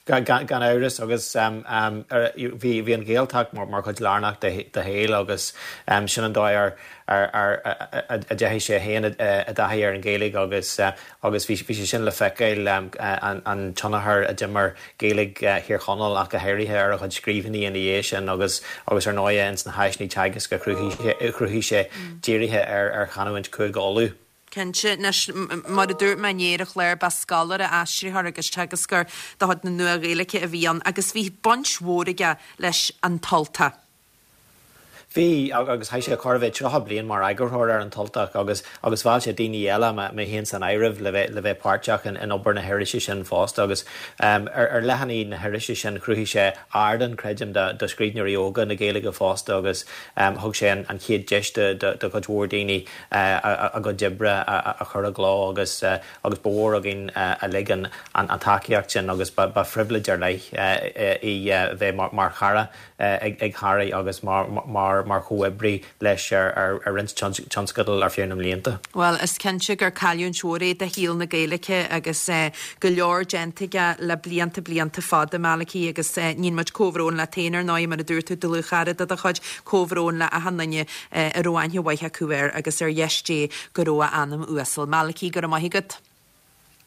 Gan amhras, agus bhí an Ghaeltacht mar chuid lárnach dá shaol agus sin an dóigh ar a ndeachaigh sé féin i dtaithí ar an Ghaeilge agus agus bhí sé sin le feiceáil, an tionchar a d'imir Gaeilge Thír Chonaill ach go háirithe ar a chuid scríbhinní ina dhiaidh sin agus agus ar ndóighe ins na háiseanna teagaisc a chruthaigh sé dírithe ar chanúint Chúige Uladh. Cinnte. Anois, mar a dúirt mé inné ar an chlár, ba scoláire, aistritheoir agus teagascóir de chuid na Nua-Ghaeilge a bhí ann agus bhí baint mhór aige leis An tUltach. Bhí, agus chaith sé chóir a bheith 30 bliain mar eagarthóir ar An tUltach agus agus mheall sé daoine eile, mé féin san áireamh, le bheith le bheith páirteach in in obair na hirise sin fosta agus ar ar leathanaigh na hirise sin chruthaigh sé ardán, creidim, do do scríbhneoirí óga na Gaeilge fosta agus thug sé an an chéad deis do do do chuid mhór daoine a a gcuid oibre a a chur i gcló agus agus ba mhór againn uilig an an tacaíocht sin agus ba ba phribhléid ar leith í bheith mar mar chara ag Harry agus mar chomhoibrí leis ar roinnt tionscadal ar feadh na mblianta. Bhuel, is cinnte gur cailliúint mhór é do shaol na Gaeilge agus go leor déanta aige le blianta, blianta fada, Malachy, agus níonn muid comhbhrón leat féin, ar ndóigh, mar a dúirt tú, dlúthchara de do chuid, comhbhrón le achan duine a raibh aithne mhaith acu air agus ar dheis Dé go raibh a anam uasal. Malachy, go raibh maith agat.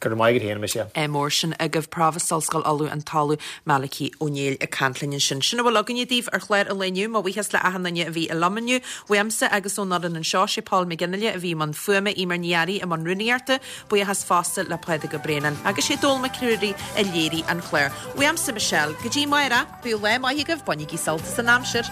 Go raibh maith agat féin, a Michelle. Mór sin agaibh Provost Ollscoil Uladh an tOllamh Malachy Ó Néill ag caint linn ansin. Sin a bhfuil againne daoibh ar chlár an lae inniu. Mo bhuíochas le achan duine a bhí liom inniu. Uaimse agus ón fhoireann anseo, sé Paul McGinley a bhí i mbun fuaime, Eimear Ní Fhearraigh i mbun rúnaíochta. Buíochas fosta le Pádraig Ó Braonáin agus sé Dónal Mac Ruairí a léirigh an clár. Uaimse Michelle, go dtí amárach, bíodh lá maith agaibh, bainigí sult as an aimsir.